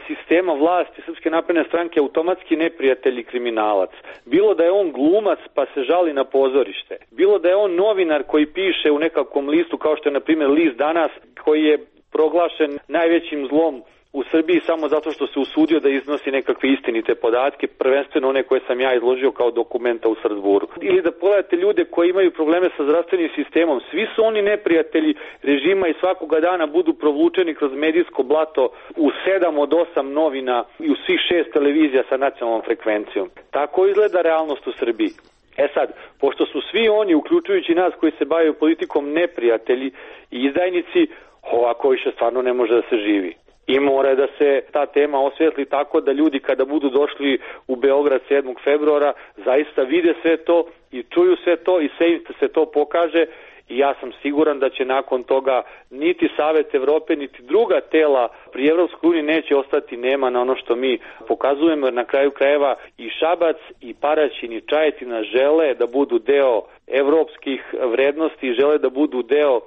sistema vlasti Srpske napredne stranke automatski neprijatelj i kriminalac. Bilo da je on glumac pa se žali na pozorište, bilo da je on novinar koji piše u nekakvom listu kao što je na primjer list Danas koji je proglašen najvećim zlom u Srbiji samo zato što se usudio da iznosi nekakve istinite podatke, prvenstveno one koje sam ja izložio kao dokumenta u Strasburu. Ili da pogledate ljude koji imaju probleme sa zdravstvenim sistemom, svi su oni neprijatelji režima i svakoga dana budu provučeni kroz medijsko blato u sedam od osam novina i u svih šest televizija sa nacionalnom frekvencijom. Tako izgleda realnost u Srbiji. E sad, pošto su svi oni, uključujući nas koji se bavaju politikom, neprijatelji i izdajnici, ovako više stvarno ne može da se živi. I mora da se ta tema osvetli tako da ljudi kada budu došli u Beograd sedmog februara zaista vide sve to i čuju sve to i sve im se to pokaže i ja sam siguran da će nakon toga niti Savet Evrope niti druga tela pri Evropskoj uniji neće ostati nema na ono što mi pokazujemo, jer na kraju krajeva i Šabac i Paraćin i Čajetina žele da budu deo evropskih vrednosti i žele da budu deo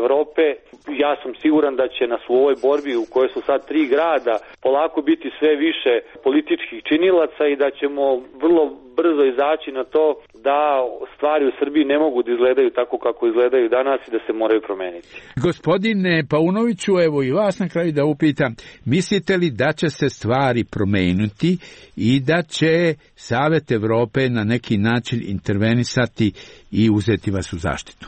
Evrope. Ja sam siguran da će nas u ovoj borbi u kojoj su sad tri grada polako biti sve više političkih činilaca i da ćemo vrlo brzo izaći na to da stvari u Srbiji ne mogu da izgledaju tako kako izgledaju danas i da se moraju promeniti. Gospodine Paunoviću, evo i vas na kraju da upitam, mislite li da će se stvari promeniti i da će Savet Evrope na neki način intervenisati i uzeti vas u zaštitu?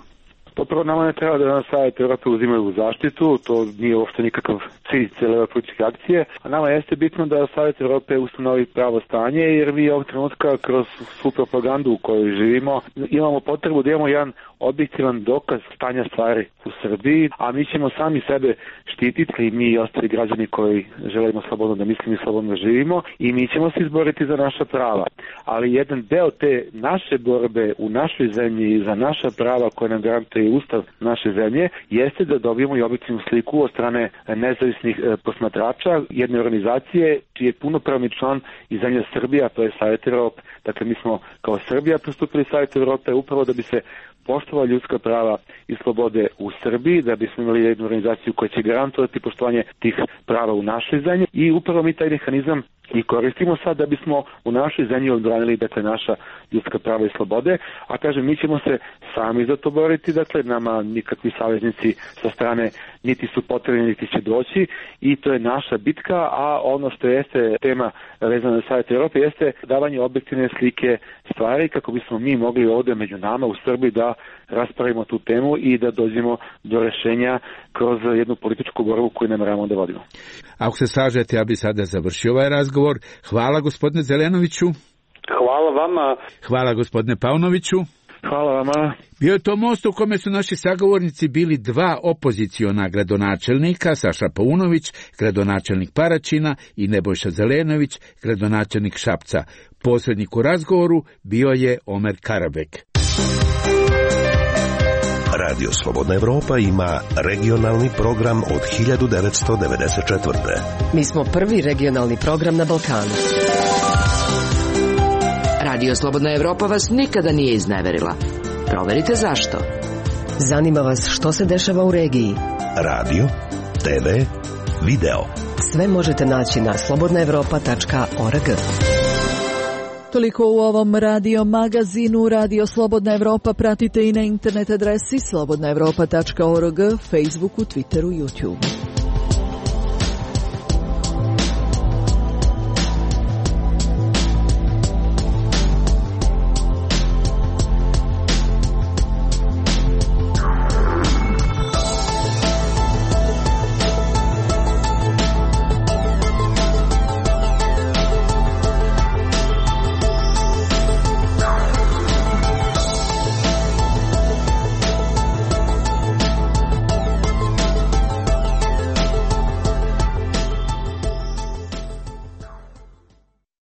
Pa prvo nama ne treba da nas Savjet Evrope uzimaju u zaštitu, to nije uopšte nikakav cilj cijele ove političke akcije, a nama jeste bitno da Savjet Evrope ustanovi pravo stanje, jer vi ovog trenutka kroz svu propagandu u kojoj živimo imamo potrebu da imamo jedan objektivan dokaz stanja stvari u Srbiji, a mi ćemo sami sebe štititi i mi i ostali građani koji želimo slobodno da mislimo i slobodno da živimo i mi ćemo se izboriti za naša prava. Ali jedan deo te naše borbe u našoj zemlji za naša prava koje nam garantuje Ustav naše zemlje jeste da dobijemo i objektivnu sliku od strane nezavisnih posmatrača jedne organizacije čiji je punopravni član i zemlja Srbija, to je Savjet Evrope. Dakle, mi smo kao Srbija pristupili Savjetu Evrope upravo da bi se poštovali ljudska prava i slobode u Srbiji, da bismo imali jednu organizaciju koja će garantovati poštovanje tih prava u našoj zemlji i upravo mi taj mehanizam i koristimo sad da bismo u našoj zemlji odbranili dakle naša ljudska prava i slobode, a kažem mi ćemo se sami za to boriti, dakle nama nikakvi saveznici sa strane niti su potrebni niti će doći i to je naša bitka, a ono što jeste tema vezana za Savjet Evrope jeste davanje objektivne slike stvari kako bismo mi mogli ovdje među nama u Srbiji da raspravimo tu temu i da dođemo do rešenja kroz jednu političku borbu koju nameravamo da vodimo. Ako se slažete, ja bi sada završio ovaj razgovor. Hvala gospodine Zelenoviću. Hvala vama. Hvala gospodine Paunoviću. Hvala vama. Bio je to most u kome su naši sagovornici bili dva opoziciona gradonačelnika, Saša Paunović, gradonačelnik Paraćina i Nebojša Zelenović, gradonačelnik Šapca. Posrednik u razgovoru bio je Omer Karabek. Radio Slobodna Evropa ima regionalni program od hiljadu devetsto devedeset četvrte. Mi smo prvi regionalni program na Balkanu. Radio Slobodna Evropa vas nikada nije izneverila. Proverite zašto. Zanima vas što se dešava u regiji. Radio, te ve, video. Sve možete naći na slobodna evropa tačka org. Toliko u ovom radio magazinu. Radio Slobodna Evropa pratite i na internet adresi slobodna evropa tačka org, Facebooku, Twitteru, YouTubeu.